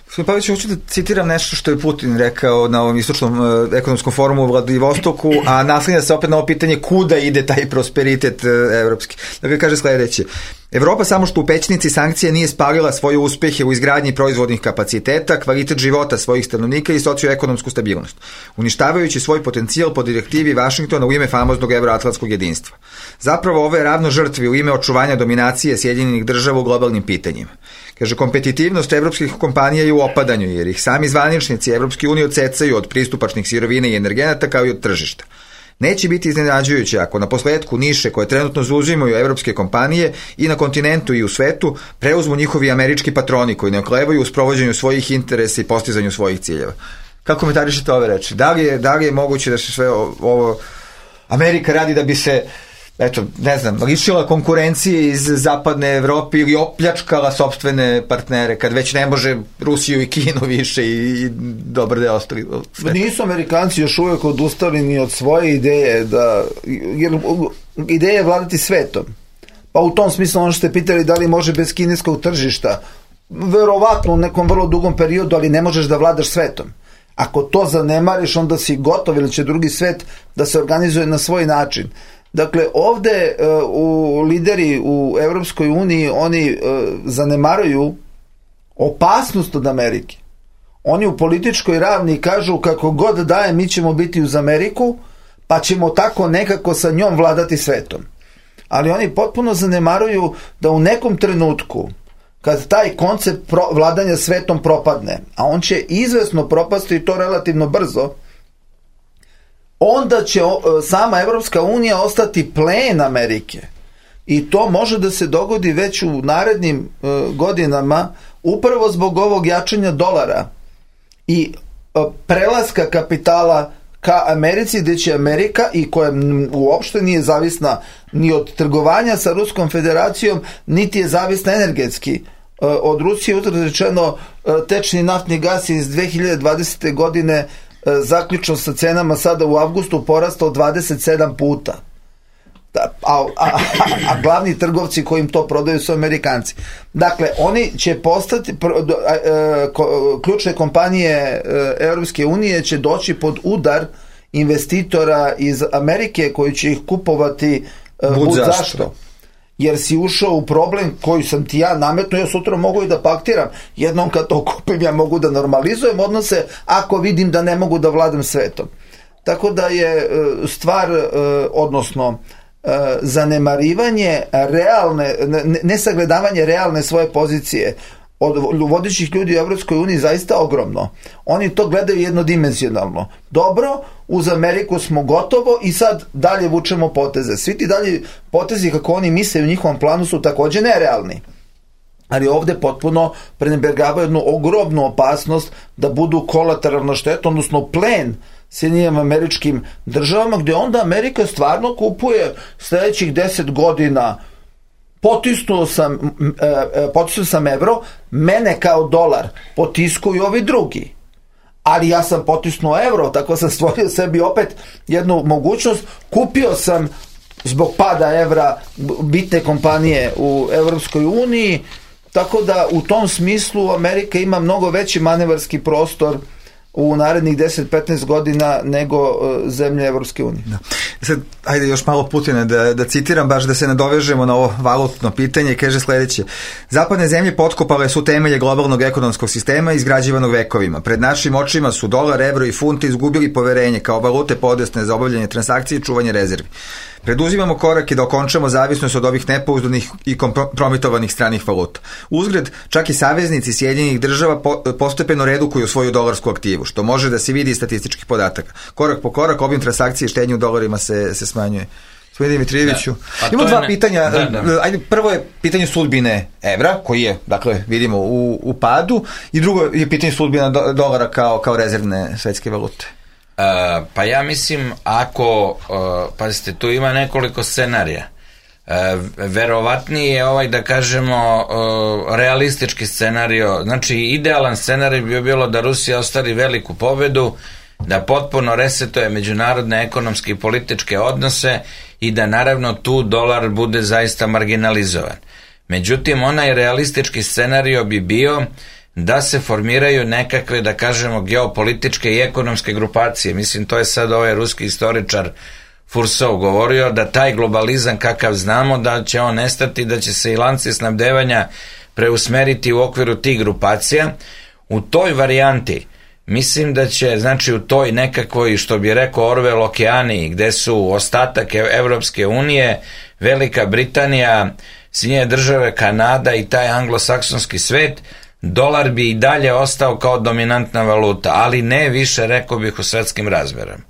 Gospodin Pavlić, hoću da citiram nešto što je Putin rekao na ovom istočnom ekonomskom forumu u Vladivostoku, a naslanja se opet na ovo pitanje kuda ide taj prosperitet evropski. Dakle, kaže sledeće. Evropa samo što u pećnici sankcija nije spalila svoje uspehe u izgradnji proizvodnih kapaciteta, kvalitet života svojih stanovnika i socioekonomsku stabilnost, uništavajući svoj potencijal po direktivi Vašingtona u ime famoznog evroatlantskog jedinstva. Zapravo ovo je ravno žrtvi u ime očuvanja dominacije Sjedinjenih država u globalnim pitanjima. Kaže, kompetitivnost evropskih kompanija je u opadanju, jer ih sami zvaničnici Evropske unije odsecaju od pristupačnih sirovina i energenata kao i od tržišta. Neće biti iznenađujuće ako na posledku niše koje trenutno zauzimaju evropske kompanije i na kontinentu i u svetu preuzmu njihovi američki patroni koji ne oklevaju u sprovođenju svojih interesa i postizanju svojih ciljeva. Kako komentarišete ove reči? Da li je moguće da se sve ovo Amerika radi da bi se, eto, ne znam, lišila konkurencije iz zapadne Evrope ili opljačkala sopstvene partnere, kad već ne može Rusiju i Kinu više i dobar deo ostali sveta? Nisu Amerikanci još uvijek odustali ni od svoje ideje, jer ideja je vladati svetom. Pa u tom smislu ono što ste pitali da li može bez kineskog tržišta, verovatno u nekom vrlo dugom periodu, ali ne možeš da vladaš svetom. Ako to zanemariš, onda si gotov, ili će drugi svet da se organizuje na svoj način. Dakle, ovde lideri u Evropskoj uniji, oni zanemaruju opasnost od Amerike. Oni u političkoj ravni kažu kako god daje, mi ćemo biti uz Ameriku, pa ćemo tako nekako sa njom vladati svetom. Ali oni potpuno zanemaruju da u nekom trenutku, kad taj koncept vladanja svetom propadne, a on će izvesno propasti i to relativno brzo, onda će sama Evropska unija ostati plen Amerike. I to može da se dogodi već u narednim godinama, upravo zbog ovog jačanja dolara i prelaska kapitala ka Americi, gde će Amerika, i koja uopšte nije zavisna ni od trgovanja sa Ruskom federacijom, niti je zavisna energetski od Rusije. Uzgled rečeno, tečni naftni gas iz 2020. godine zaključno sa cenama sada u avgustu porastao 27 puta. A glavni trgovci koji im to prodaju su Amerikanci. Dakle, oni će postati, ključne kompanije Europske unije će doći pod udar investitora iz Amerike koji će ih kupovati zašto? Jer si ušao u problem koji sam ti ja nametnuo, ja sutra mogu i da paktiram. Jednom kad to kupim, ja mogu da normalizujem odnose ako vidim da ne mogu da vladam svetom. Tako da je stvar, odnosno zanemarivanje realne, nesagledavanje realne svoje pozicije od vodećih ljudi u Evropskoj uniji zaista ogromno. Oni to gledaju jednodimenzionalno. Dobro, uz Ameriku smo gotovo i sad dalje vučemo poteze. Svi ti dalje potezi kako oni misle u njihovom planu su takođe nerealni. Ali ovde potpuno prenebregavaju jednu ogromnu opasnost da budu kolateralna šteta, odnosno plen Sjedinjenim Američkim Državama, gde onda Amerika stvarno kupuje sledećih 10 godina. Potisnuo sam evro, mene kao dolar potiskuju ovi drugi. Ali ja sam potisnuo evro, tako sam stvorio sebi opet jednu mogućnost. Kupio sam zbog pada evra bitne kompanije u Evropskoj uniji, tako da u tom smislu Amerika ima mnogo veći manevarski prostor u narednih 10-15 godina nego zemlje Evropske unije. Da. Sad, ajde još malo Putina da citiram, baš da se nadovežemo na ovo valutno pitanje, i kaže sledeće: zapadne zemlje potkopale su temelje globalnog ekonomskog sistema izgrađivanog vekovima. Pred našim očima su dolar, evro i funt izgubili poverenje kao valute podesne za obavljanje transakcije i čuvanje rezervi. Preduzimamo korake da okončamo zavisnost od ovih nepouzdanih i kompromitovanih stranih valuta. Uzgred, čak i saveznici Sjedinjenih Država postepeno redukuju svoju dolarsku aktivu, što može da se vidi iz statističkih podataka. Korak po korak obim transakcije i štednje u dolarima se smanjuje. Gospodine Dimitrijeviću, imamo dva pitanja. Ajde, prvo je pitanje sudbine evra, koji je, dakle, vidimo u padu, i drugo je pitanje sudbine dolara kao rezervne svetske valute. Pa ja mislim, ako, pazite, tu ima nekoliko scenarija. Verovatniji je da kažemo, realistički scenario. Znači, idealan scenarij bi bilo da Rusija ostvari veliku pobedu, da potpuno resetuje međunarodne ekonomske i političke odnose i da naravno tu dolar bude zaista marginalizovan. Međutim, onaj realistički scenario bi bio da se formiraju nekakve, da kažemo, geopolitičke i ekonomske grupacije. Mislim, to je sad ovaj ruski istoričar Fursov govorio, da taj globalizam kakav znamo, da će on nestati, da će se i lanci snabdevanja preusmeriti u okviru tih grupacija. U toj varijanti mislim da će, znači u toj nekakvoj, što bi rekao Orwell, okeaniji, gde su ostatak Evropske unije, Velika Britanija, Sjedinjene Države, Kanada i taj anglosaksonski svet, dolar bi i dalje ostao kao dominantna valuta, ali ne više, rekao bih, u svetskim razmerama.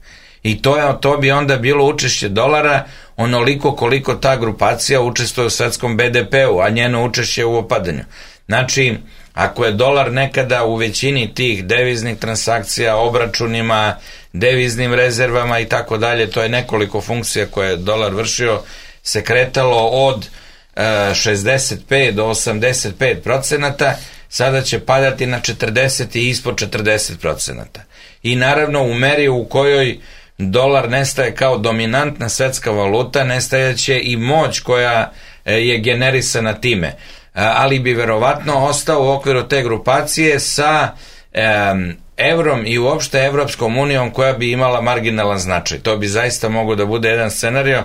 I to bi onda bilo učešće dolara onoliko koliko ta grupacija učestvuje u svetskom BDP-u, a njeno učešće u opadanju. Znači, ako je dolar nekada u većini tih deviznih transakcija, obračunima, deviznim rezervama i tako dalje, to je nekoliko funkcija koje je dolar vršio, se kretalo od 65 do 85%, sada će padati na 40 i ispod 40%. I naravno u meri u kojoj dolar nestaje kao dominantna svetska valuta, nestajeće i moć koja je generisana time. Ali bi verovatno ostao u okviru te grupacije sa evrom i uopšte Evropskom unijom koja bi imala marginalan značaj. To bi zaista mogao da bude jedan scenario.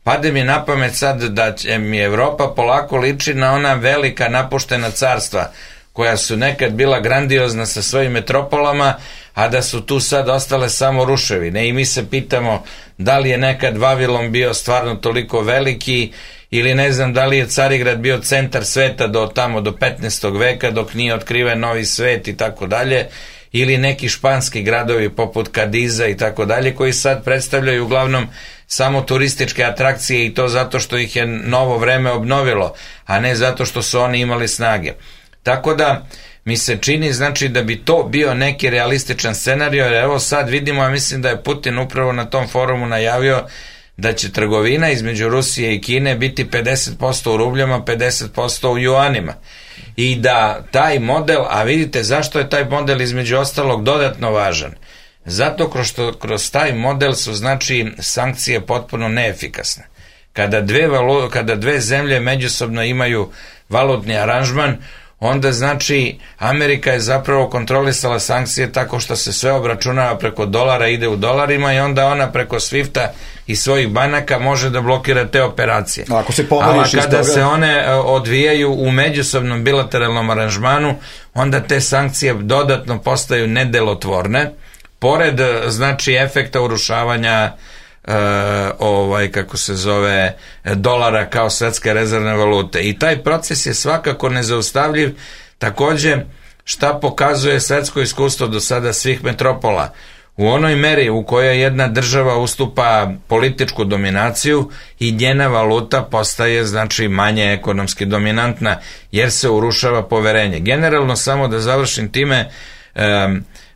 Pade mi na pamet sad da će mi Evropa polako liči na ona velika napuštena carstva koja su nekad bila grandiozna sa svojim metropolama, a da su tu sad ostale samo ruševine. I mi se pitamo da li je nekad Vavilon bio stvarno toliko veliki, ili ne znam da li je Carigrad bio centar sveta do 15. veka dok nije otkriven Novi svet i tako dalje, ili neki španski gradovi poput Kadiza i tako dalje, koji sad predstavljaju uglavnom samo turističke atrakcije, i to zato što ih je novo vreme obnovilo, a ne zato što su oni imali snage. Tako da mi se čini, znači, da bi to bio neki realističan scenario, jer evo sad vidimo, a mislim da je Putin upravo na tom forumu najavio da će trgovina između Rusije i Kine biti 50% u rubljama, 50% u juanima. I da taj model, a vidite zašto je taj model između ostalog dodatno važan. Zato kroz taj model su, znači, sankcije potpuno neefikasne. Kada dve zemlje međusobno imaju valutni aranžman, onda znači Amerika je zapravo kontrolisala sankcije tako što se sve obračunava preko dolara, ide u dolarima, i onda ona preko Swifta i svojih banaka može da blokira te operacije. Ali kada se one odvijaju u međusobnom bilateralnom aranžmanu, onda te sankcije dodatno postaju nedelotvorne, pored, znači, efekta urušavanja dolara kao svetske rezervne valute. I taj proces je svakako nezaustavljiv. Takođe, šta pokazuje svetsko iskustvo do sada svih metropola? U onoj meri u kojoj jedna država ustupa političku dominaciju, i njena valuta postaje, znači, manje ekonomski dominantna, jer se urušava poverenje. Generalno, samo da završim time,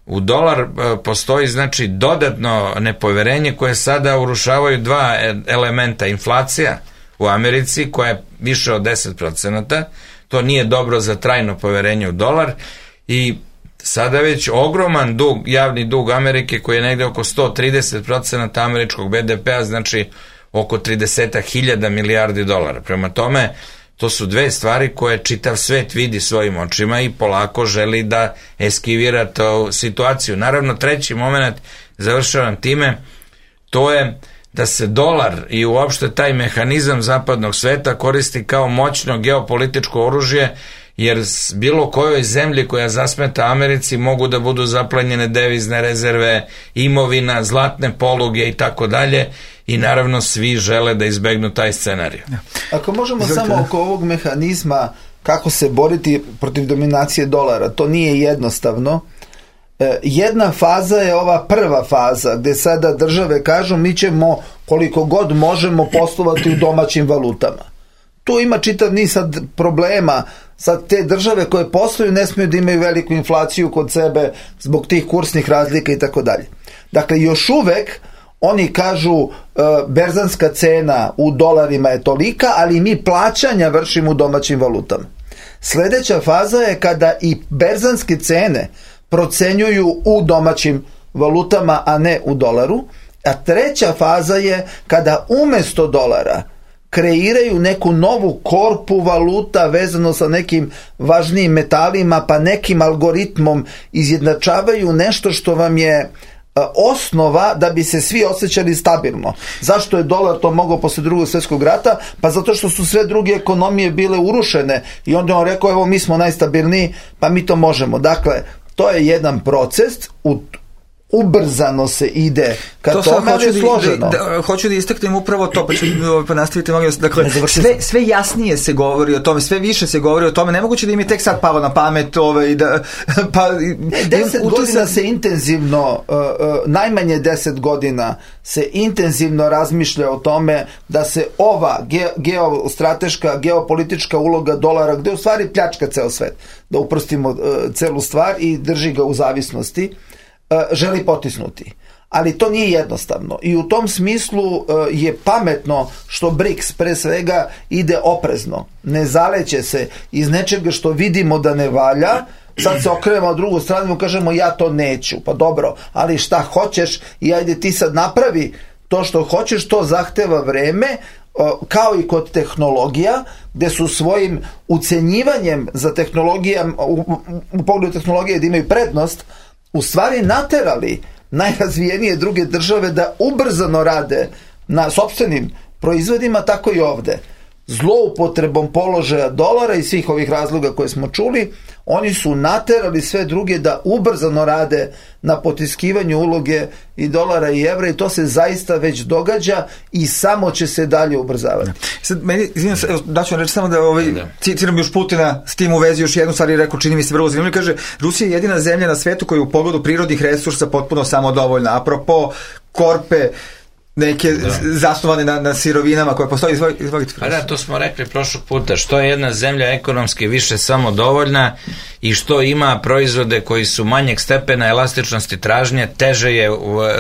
u dolar postoji, znači, dodatno nepoverenje koje sada urušavaju dva elementa. Inflacija u Americi koja je više od 10%, to nije dobro za trajno poverenje u dolar, i sada već ogroman javni dug Amerike koji je negde oko 130% američkog BDP-a, znači oko 30.000 milijardi dolara. Prema tome, to su dve stvari koje čitav svet vidi svojim očima i polako želi da eskivira tu situaciju. Naravno, treći moment, završavam time, to je da se dolar i uopšte taj mehanizam zapadnog sveta koristi kao moćno geopolitičko oružje, jer bilo kojoj zemlji koja zasmeta Americi mogu da budu zaplenjene devizne rezerve, imovina, zlatne poluge i tako dalje, i naravno svi žele da izbegnu taj scenarij. Ako možemo samo oko ovog mehanizma kako se boriti protiv dominacije dolara, to nije jednostavno. Jedna faza je ova prva faza gde sada države kažu mi ćemo koliko god možemo poslovati u domaćim valutama. Tu ima čitav niz sad problema. Sad te države koje posluju ne smiju da imaju veliku inflaciju kod sebe zbog tih kursnih razlika i tako dalje. Dakle, još uvek oni kažu berzanska cena u dolarima je tolika, ali mi plaćanja vršimo u domaćim valutama. Sledeća faza je kada i berzanske cene procenjuju u domaćim valutama, a ne u dolaru. A treća faza je kada umesto dolara kreiraju neku novu korpu valuta vezano sa nekim važnijim metalima, pa nekim algoritmom izjednačavaju nešto što vam je osnova da bi se svi osjećali stabilno. Zašto je dolar to mogao posle Drugog svjetskog rata? Pa zato što su sve druge ekonomije bile urušene i onda on rekao evo mi smo najstabilniji pa mi to možemo. Dakle, to je jedan proces ubrzano se ide ka tome, ali je složeno. Hoću da istaknem upravo to, pa nastavite, molim vas. Dakle, sve jasnije se govori o tome, sve više se govori o tome, nemoguće da im je tek sad palo na pamet i da... 10 godina se intenzivno, najmanje 10 godina se intenzivno razmišlja o tome da se ova geostrateška, geopolitička uloga dolara, gde u stvari pljačka ceo svet, da uprostimo celu stvar i drži ga u zavisnosti, želi potisnuti. Ali to nije jednostavno i u tom smislu je pametno što BRICS pre svega ide oprezno. Ne zaleće se iz nečega što vidimo da ne valja, sad se okrenemo na drugu stranu i kažemo ja to neću, pa dobro, ali šta hoćeš i ajde ti sad napravi to što hoćeš, to zahteva vreme, kao i kod tehnologija, gde su svojim ucenjivanjem za tehnologijama, u pogledu tehnologije da imaju prednost, u stvari naterali najrazvijenije druge države da ubrzano rade na sopstvenim proizvodima, tako i ovde. Zloupotrebom položaja dolara i svih ovih razloga koje smo čuli, oni su naterali sve druge da ubrzano rade na potiskivanju uloge i dolara i evra i to se zaista već događa i samo će se dalje ubrzavati. Sad, izvinjam se, daću vam reći samo da citiram još Putina s tim u vezi još jednu stvar i rekao, čini mi se vrlo zanimljivo, kaže, Rusija je jedina zemlja na svetu koja je u pogledu prirodnih resursa potpuno samodovoljna. Apropo korpe, neke zasnovane na sirovinama koje postoje. Izvolite. Pa da, to smo rekli prošlog puta, što je jedna zemlja ekonomski više samodovoljna i što ima proizvode koji su manjeg stepena elastičnosti tražnje, teže je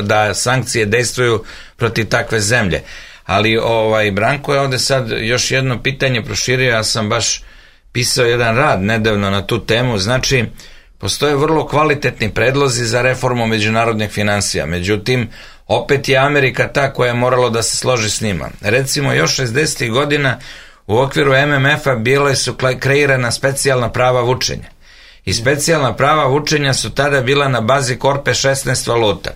da sankcije dejstvuju protiv takve zemlje. Ali Branko je ovde sad još jedno pitanje proširio, ja sam baš pisao jedan rad nedavno na tu temu, znači postoje vrlo kvalitetni predlozi za reformu međunarodnih finansija, međutim opet je Amerika ta koja je moralo da se složi s njima. Recimo, još 60. godina u okviru MMF-a bile su kreirana specijalna prava vučenja. I specijalna prava vučenja su tada bila na bazi korpe 16 valuta.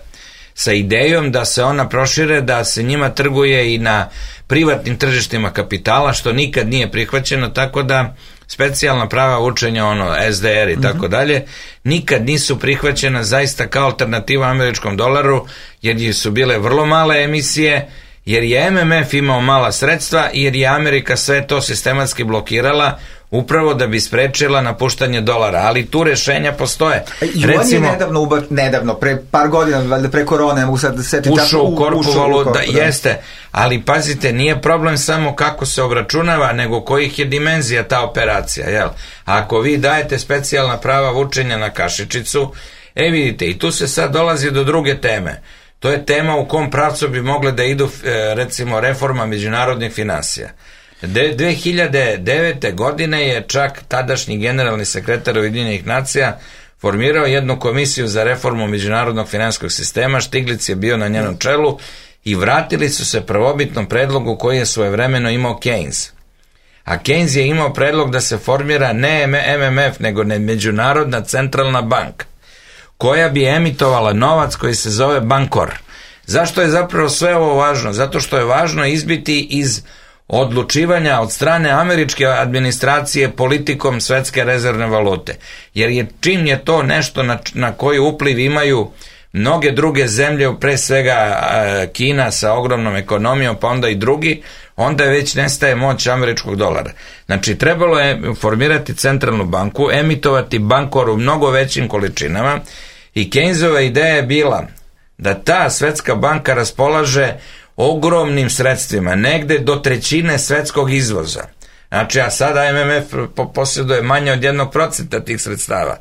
Sa idejom da se ona prošire, da se njima trguje i na privatnim tržištima kapitala, što nikad nije prihvaćeno, tako da specijalna prava vučenja, SDR i tako dalje, nikad nisu prihvaćena zaista kao alternativa američkom dolaru, jer su bile vrlo male emisije, jer je MMF imao mala sredstva, jer je Amerika sve to sistematski blokirala, upravo da bi sprečila napuštanje dolara, ali tu rešenja postoje. Recimo, je nedavno, pre par godina, valjda pre korone, ne mogu sad da setim, ušao u korpu valuta, jeste, ali pazite, nije problem samo kako se obračunava, nego kojih je dimenzija ta operacija, jel? Ako vi dajete specijalna prava vučenja na kašičicu, vidite, i tu se sad dolazi do druge teme. To je tema u kom pravcu bi mogle da idu, recimo, reforma međunarodnih finansija. 2009. godine je čak tadašnji generalni sekretar Ujedinjenih nacija formirao jednu komisiju za reformu međunarodnog finansijskog sistema, Štiglic je bio na njenom čelu i vratili su se prvobitnom predlogu koji je svojevremeno imao Keynes. A Keynes je imao predlog da se formira ne MMF, nego Međunarodna centralna banka, koja bi emitovala novac koji se zove Bankor. Zašto je zapravo sve ovo važno? Zato što je važno izbiti iz odlučivanja od strane američke administracije politikom svetske rezervne valute. Jer čim je to nešto na koji upliv imaju mnoge druge zemlje, pre svega Kina sa ogromnom ekonomijom, pa onda i drugi, onda već nestaje moć američkog dolara. Znači, trebalo je formirati centralnu banku, emitovati Bankor u mnogo većim količinama i Keynesova ideja je bila da ta svetska banka raspolaže ogromnim sredstvima, negde do 1/3 svetskog izvoza. Znači, a sada MMF posjeduje manje od 1% tih sredstava.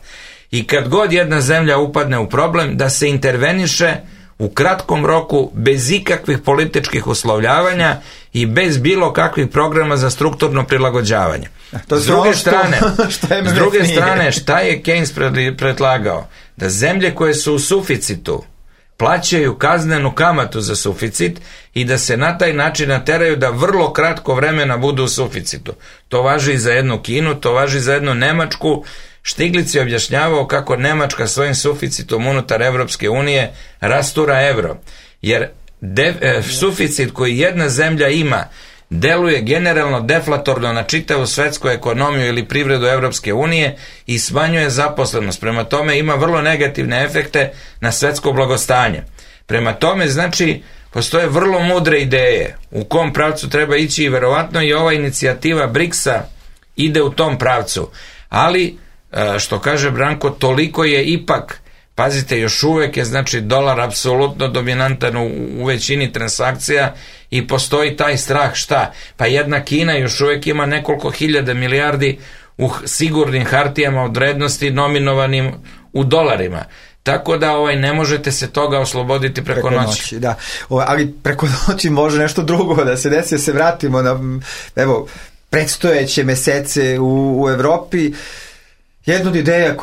I kad god jedna zemlja upadne u problem, da se interveniše u kratkom roku, bez ikakvih političkih uslovljavanja i bez bilo kakvih programa za strukturno prilagođavanje. S druge strane, šta je Keynes predlagao? Da zemlje koje su u suficitu plaćaju kaznenu kamatu za suficit i da se na taj način nateraju da vrlo kratko vremena budu u suficitu. To važi i za jednu Kinu, to važi i za jednu Nemačku. Štiglic je objašnjavao kako Nemačka svojim suficitom unutar Evropske unije rastura evro. Jer suficit koji jedna zemlja ima deluje generalno deflatorno na čitavu svetsku ekonomiju ili privredu Evropske unije i smanjuje zaposlenost. Prema tome ima vrlo negativne efekte na svetsko blagostanje. Prema tome, znači, postoje vrlo mudre ideje u kom pravcu treba ići i verovatno i ova inicijativa BRICS-a ide u tom pravcu. Ali, što kaže Branko, toliko je ipak, pazite, još uvek je znači dolar apsolutno dominantan u većini transakcija i postoji taj strah šta? Pa jedna Kina još uvek ima nekoliko hiljada milijardi u sigurnim hartijama od vrednosti nominovanim u dolarima. Tako da ne možete se toga osloboditi preko noći. Da. Ali preko noći može nešto drugo da se desi, da se vratimo na predstojeće mesece u Evropi. Jedna od ideja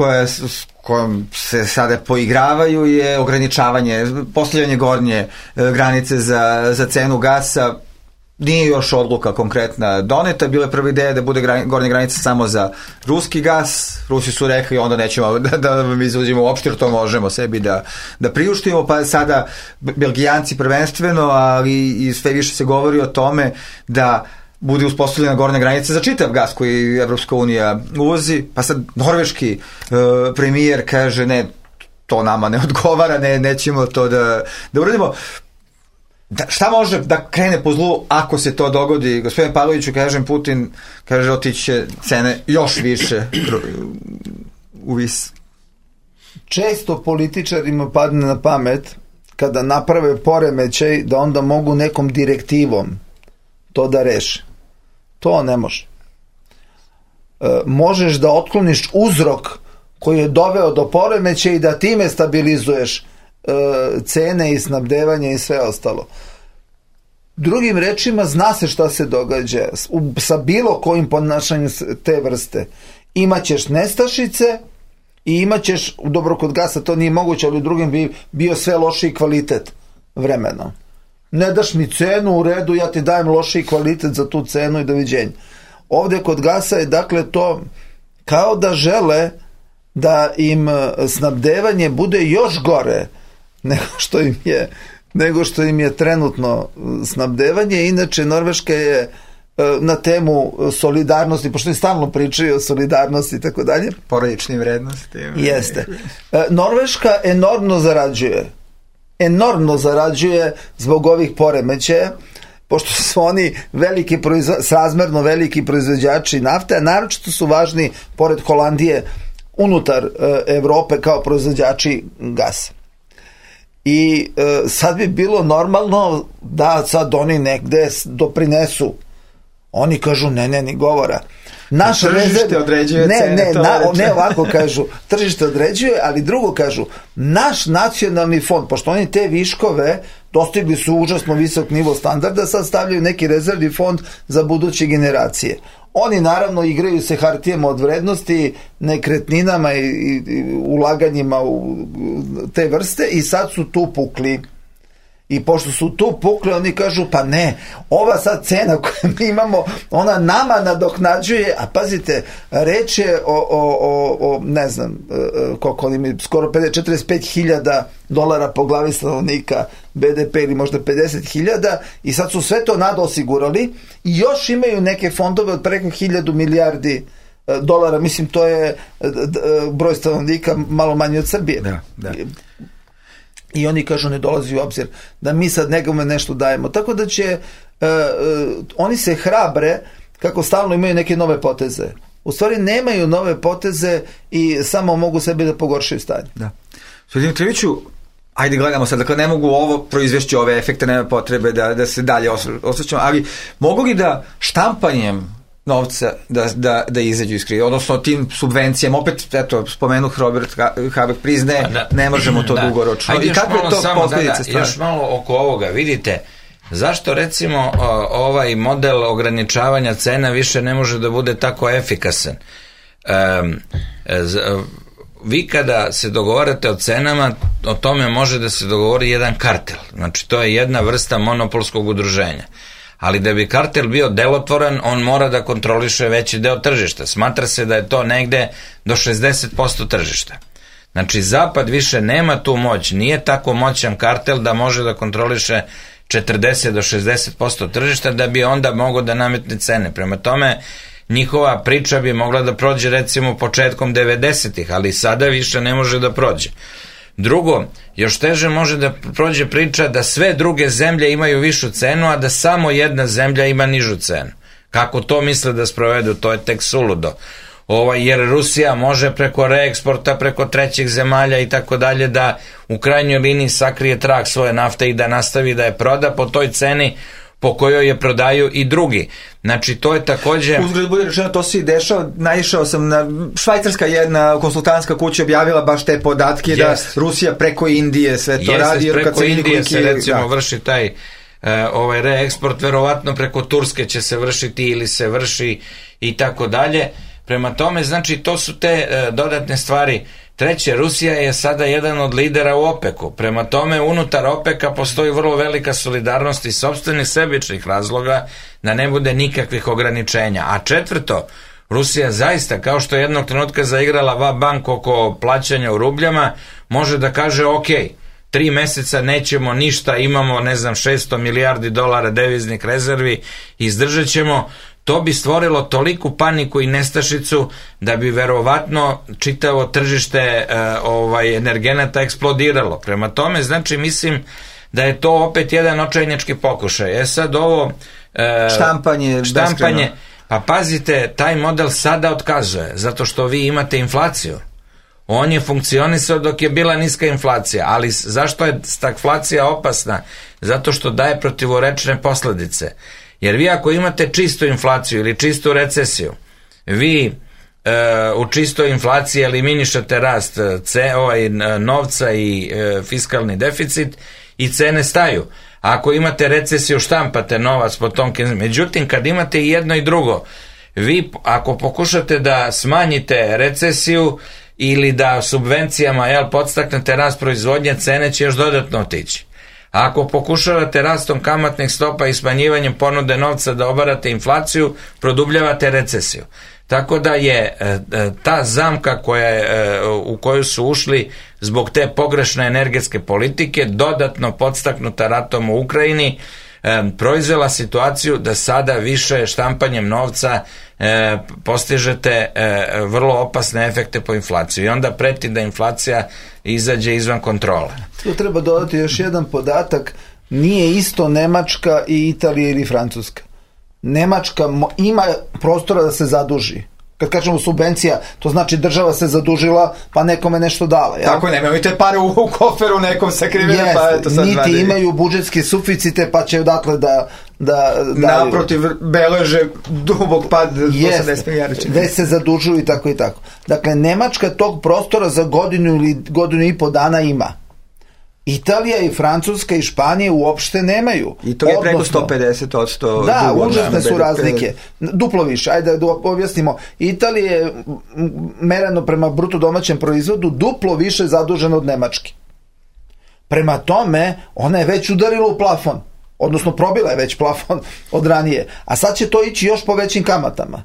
kojom se sada poigravaju je ograničavanje, postavljanje gornje granice za cenu gasa. Nije još odluka konkretna doneta, bila je prva ideja da bude gornja granica samo za ruski gas. Rusi su rekli onda nećemo da vam izuzimo uopšte, jer to možemo sebi da priuštimo, pa sada Belgijanci prvenstveno, ali i sve više se govori o tome da bude uspostavljena gornja granica za čitav gas koji Evropska unija uvozi, pa sad norveški premijer kaže ne, to nama ne odgovara, nećemo to da uradimo. Šta može da krene po zlu ako se to dogodi? Gospodin Pavloviću, kažem, Putin kaže otiće cene još više u vis. Često političarima padne na pamet kada naprave poremećaj da onda mogu nekom direktivom to da reše. To ne može. Možeš da otkloniš uzrok koji je doveo do poremećaja i da time stabilizuješ cene i snabdevanje i sve ostalo. Drugim rečima, zna se šta se događa sa bilo kojim ponašanjem te vrste. Imaćeš nestašice i imaćeš, dobro kod gasa to nije moguće, ali u drugim bi bio sve lošiji kvalitet vremenom. Ne daš mi cenu, u redu, ja ti dajem lošiji kvalitet za tu cenu i doviđenja. Ovdje kod gasa je dakle to kao da žele da im snabdevanje bude još gore nego što im je trenutno snabdevanje. Inače, Norveška je na temu solidarnosti, pošto im stalno pričaju o solidarnosti i tako dalje. Porodičnim vrednosti. Jeste. Norveška enormno zarađuje zbog ovih poremećaja, pošto su oni srazmerno veliki proizvođači nafte, a naročito su važni, pored Holandije, unutar Evrope kao proizvođači gasa. I sad bi bilo normalno da sad oni negde doprinesu. Oni kažu ne, ni govora. Tržište određuje cene. Ne ovako kažu, tržište određuje, ali drugo kažu, naš nacionalni fond, pošto oni te viškove dostigli su užasno visok nivo standarda, sad stavljaju neki rezervni fond za buduće generacije. Oni naravno igraju se hartijama od vrednosti, nekretninama i ulaganjima u te vrste i sad su tu pukli. I pošto su tu pukli, oni kažu pa ne, ova sad cena koju mi imamo, ona nama nadoknađuje, a pazite, reč je o ne znam, koliko oni mi, skoro 45.000 dolara po glavi stanovnika BDP ili možda 50.000 i sad su sve to nadosigurali i još imaju neke fondove od preko 1.000 milijardi dolara, mislim to je broj stanovnika malo manje od Srbije. Da. I oni kažu ne dolazi u obzir da mi sad nekome nešto dajemo. Tako da će oni se hrabre kako stalno imaju neke nove poteze. U stvari nemaju nove poteze i samo mogu sebi da pogoršaju stanje. Da. Gospodin Triviću, ajde gledamo sad, dakle ne mogu ovo proizvešći ove efekte, nema potrebe da se dalje osjećamo, ali mogu li da štampanjem novca da izađu iz krize, odnosno tim subvencijama, opet, eto, spomenuh Robert Habeck priznaje, ne možemo to dugoročno. Ajde, i kako je to posljedice stvari? Još malo oko ovoga, vidite, zašto recimo ovaj model ograničavanja cena više ne može da bude tako efikasan? Vi kada se dogovarate o cenama, o tome može da se dogovori jedan kartel, znači to je jedna vrsta monopolskog udruženja. Ali da bi kartel bio delotvoran, on mora da kontroliše veći deo tržišta. Smatra se da je to negde do 60% tržišta. Znači, Zapad više nema tu moć, nije tako moćan kartel da može da kontroliše 40 do 60% tržišta da bi onda mogao da nametne cene. Prema tome, njihova priča bi mogla da prođe recimo početkom 90-ih, ali sada više ne može da prođe. Drugo, još teže može da prođe priča da sve druge zemlje imaju višu cenu, a da samo jedna zemlja ima nižu cenu. Kako to misle da sprovedu, to je tek suludo. Jer Rusija može preko reeksporta, preko trećih zemalja i tako dalje da u krajnjoj liniji sakrije trag svoje nafte i da nastavi da je proda po toj ceni po kojoj je prodaju i drugi. Znači, to je takođe... Uzgled bude rečeno, to se i dešava, naišao sam na... Švajcarska jedna konsultantska kuća objavila baš te podatke da Rusija preko Indije sve to radi. Jeste, preko Indije se recimo vrši taj reeksport, verovatno preko Turske će se vršiti ili se vrši i tako dalje. Prema tome, znači, to su te dodatne stvari. Treće, Rusija je sada jedan od lidera u OPEC-u. Prema tome, unutar OPEC-a postoji vrlo velika solidarnost i sopstvenih sebičnih razloga da ne bude nikakvih ograničenja. A četvrto, Rusija zaista, kao što je jednog trenutka zaigrala va-bank oko plaćanja u rubljama, može da kaže, ok, 3 meseca nećemo ništa, imamo, 600 milijardi dolara deviznih rezervi, izdržat ćemo. To bi stvorilo toliku paniku i nestašicu da bi verovatno čitavo tržište energenata eksplodiralo. Prema tome, znači, mislim da je to opet jedan očajnički pokušaj. Sad ovo... Štampanje. Pa pazite, taj model sada otkazuje, zato što vi imate inflaciju. On je funkcionisao dok je bila niska inflacija, ali zašto je stagflacija opasna? Zato što daje protivorečne posledice. Jer vi ako imate čistu inflaciju ili čistu recesiju, vi u čistoj inflaciji eliminišete rast novca i fiskalni deficit i cene staju. Ako imate recesiju, štampate novac po tom. Međutim, kad imate i jedno i drugo, vi ako pokušate da smanjite recesiju ili da subvencijama podstaknete rast proizvodnje, cene će još dodatno otići. Ako pokušavate rastom kamatnih stopa i smanjivanjem ponude novca da obarate inflaciju, produbljavate recesiju. Tako da je ta zamka u koju su ušli zbog te pogrešne energetske politike, dodatno podstaknuta ratom u Ukrajini, proizvela situaciju da sada više štampanjem novca postižete vrlo opasne efekte po inflaciji i onda preti da inflacija izađe izvan kontrole. Tu treba dodati još jedan podatak, nije isto Nemačka i Italija ili Francuska. Nemačka ima prostora da se zaduži. Kad kažemo subvencija, to znači država se zadužila pa nekome nešto dala. Ja? Tako, nemaju te pare u koferu nekom sakrivene, pa eto sad niti imaju budžetske suficite pa će odatle da naprotiv beleže dubok pad 80 milijardi. Već se zadužuju i tako i tako. Dakle, Nemačka tog prostora za godinu ili godinu i po dana ima. Italija i Francuska i Španija uopšte nemaju. I to je preko 150%. Da, užasne su razlike. Duplo više. Ajde da objasnimo. Italija je mereno prema bruto domaćem proizvodu duplo više zadužena od Nemačke. Prema tome, ona je već udarila u plafon. Odnosno, probila je već plafon od ranije. A sad će to ići još po većim kamatama.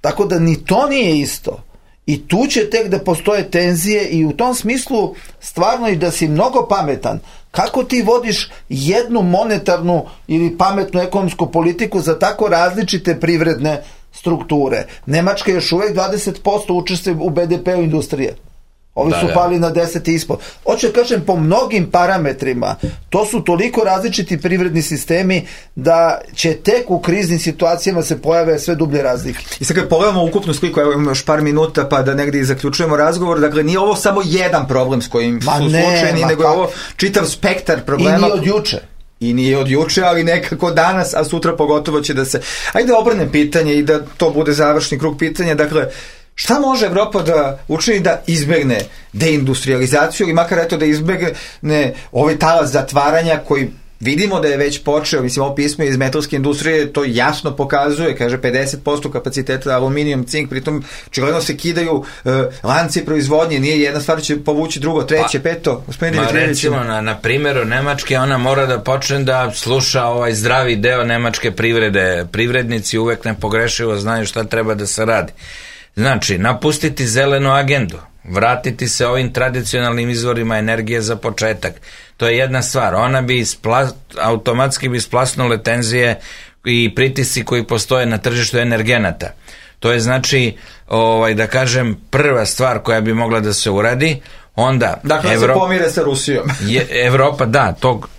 Tako da ni to nije isto. I tu će tek da postoje tenzije i u tom smislu stvarno i da si mnogo pametan. Kako ti vodiš jednu monetarnu ili pametnu ekonomsku politiku za tako različite privredne strukture? Nemačka još uvek 20% učestvuje u BDP-u industrije. Ovi su pali na 10 i ispod. Hoću kažem, po mnogim parametrima, to su toliko različiti privredni sistemi da će tek u kriznim situacijama se pojave sve dublje razlike. I sad kad pogledamo ukupnu sliku, evo imamo još par minuta pa da negdje zaključujemo razgovor, dakle nije ovo samo jedan problem s kojim su suočeni, nego je ovo čitav spektar problema. I nije od juče. I nije od juče, ali nekako danas, a sutra pogotovo će da se... Ajde obrnem pitanje i da to bude završni krug pitanja, dakle, šta može Evropa da učini da izbegne deindustrializaciju ili makar eto da izbegne ovaj talas zatvaranja koji vidimo da je već počeo, mislim ovo pismo iz metalske industrije to jasno pokazuje, kaže 50% kapaciteta aluminijum, cink, pritom očigledno se kidaju lanci proizvodnje, nije jedna stvar će povući drugo, treće, peto. Recimo na primjeru Nemačke ona mora da počne da sluša ovaj zdravi deo nemačke privrede, privrednici uvek nepogrešivo znaju šta treba da se radi. Znači, napustiti zelenu agendu. vratiti se ovim tradicionalnim izvorima energije za početak. To je jedna stvar. Ona bi automatski bi splasnule tenzije i pritisci koji postoje na tržištu energenata. To je znači, da kažem, prva stvar koja bi mogla da se uradi. Onda dakle, se pomire sa Rusijom. Evropa, da,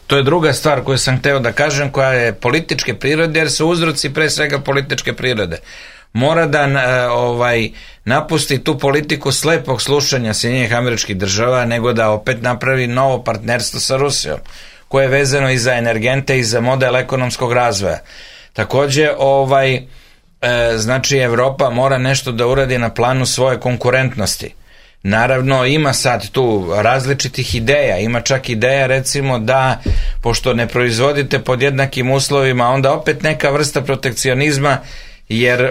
to je druga stvar koju sam hteo da kažem, koja je političke prirode, jer su uzroci pre svega političke prirode. Mora da napusti tu politiku slepog slušanja Sjedinjenih Američkih Država, nego da opet napravi novo partnerstvo sa Rusijom, koje je vezano i za energente i za model ekonomskog razvoja. Takođe, znači Evropa mora nešto da uradi na planu svoje konkurentnosti. Naravno, ima sad tu različitih ideja, ima čak ideja recimo da, pošto ne proizvodite pod jednakim uslovima, onda opet neka vrsta protekcionizma, jer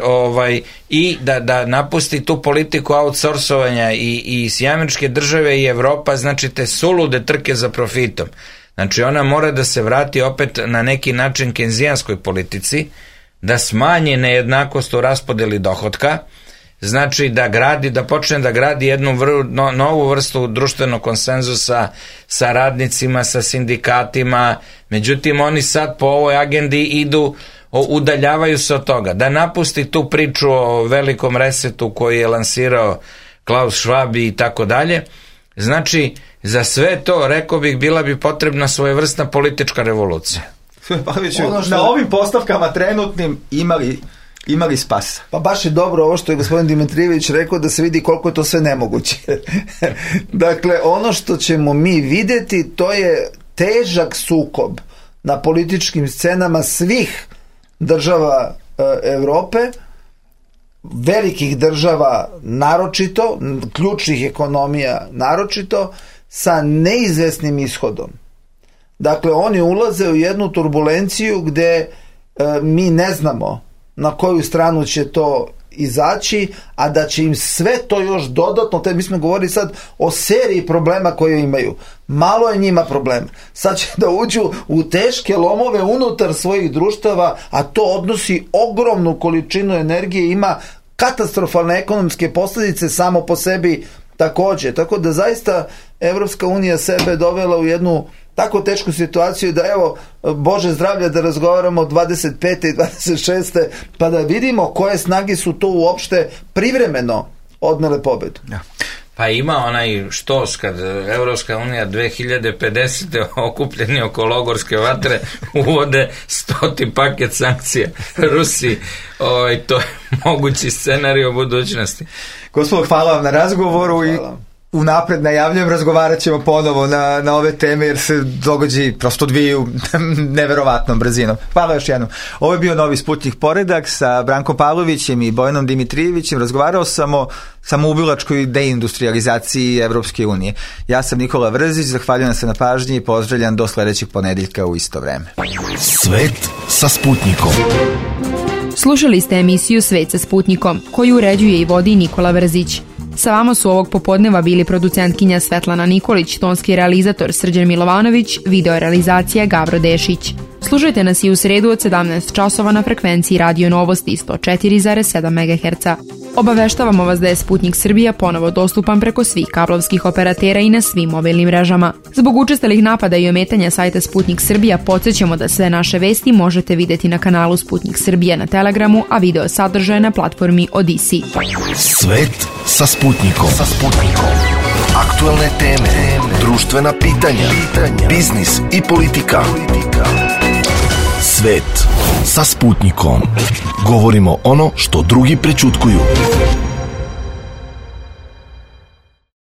i da napusti tu politiku outsourcovanja i Američke Države i Evropa, znači te sulude trke za profitom. Znači ona mora da se vrati opet na neki način kenzijanskoj politici, da smanji nejednakost u raspodeli dohotka, znači da počne da gradi jednu novu vrstu društvenog konsenzusa sa radnicima, sa sindikatima. Međutim, oni sad po ovoj agendi udaljavaju se od toga. Da napusti tu priču o velikom resetu koji je lansirao Klaus Schwab i tako dalje. Znači, za sve to, rekao bih, bila bi potrebna svojevrsna politička revolucija. Na ovim postavkama trenutnim imali spasa. Pa baš je dobro ovo što je gospodin Dimitrijević rekao, da se vidi koliko je to sve nemoguće. Dakle, ono što ćemo mi vidjeti, to je težak sukob na političkim scenama svih država Evrope, velikih država naročito, ključnih ekonomija naročito, sa neizvesnim ishodom. Dakle, oni ulaze u jednu turbulenciju gde mi ne znamo na koju stranu će to izaći, a da će im sve to još dodatno, mi smo govorili sad o seriji problema koje imaju. Malo je njima problema. Sad će da uđu u teške lomove unutar svojih društava, a to odnosi ogromnu količinu energije, ima katastrofalne ekonomske posljedice samo po sebi također. Tako da zaista Evropska unija sebe dovela u jednu tako tešku situaciju da evo, Bože zdravlja, da razgovaramo 25. i 26. pa da vidimo koje snage su to uopšte privremeno odnele pobedu. Ja. Pa ima onaj štos kad Evropska unija 2050. okupljeni oko logorske vatre uvode 100. paket sankcija Rusiji. To je mogući scenarij u budućnosti. Gospodo, hvala vam na razgovoru i unapred najavljujem, razgovarat ćemo ponovo na ove teme, jer se događaji prosto odvijaju neverovatnom brzinom. Hvala još jednom. Ovo je bio Novi Sputnik Poredak sa Brankom Pavlovićem i Bojanom Dimitrijevićem. Razgovarao sam o samoubilačkoj deindustrializaciji Evropske unije. Ja sam Nikola Vrzić, zahvaljujem se na pažnji i pozdravljam do sledećeg ponedeljka u isto vreme. Svet sa Sputnikom. Slušali ste emisiju Svet sa Sputnikom, koju uređuje i vodi Nikola Vrzić. Sa vama su ovog popodneva bili producentkinja Svetlana Nikolić, tonski realizator Srđan Milovanović, video realizacija Gavro Dešić. Slušajte nas i u sredu od 17 časova na frekvenciji Radio Novosti 104,7 MHz. Obaveštavamo vas da je Sputnik Srbija ponovo dostupan preko svih kablovskih operatera i na svim mobilnim mrežama. Zbog učestalih napada i ometanja sajta Sputnik Srbija podsjećamo da sve naše vesti možete videti na kanalu Sputnik Srbija na Telegramu, a video sadržaje na platformi Odisi. Svet sa Sputnikom. Aktualne teme, društvena pitanja, biznis i politika. Svet sa Sputnikom. Govorimo ono što drugi prećutkuju.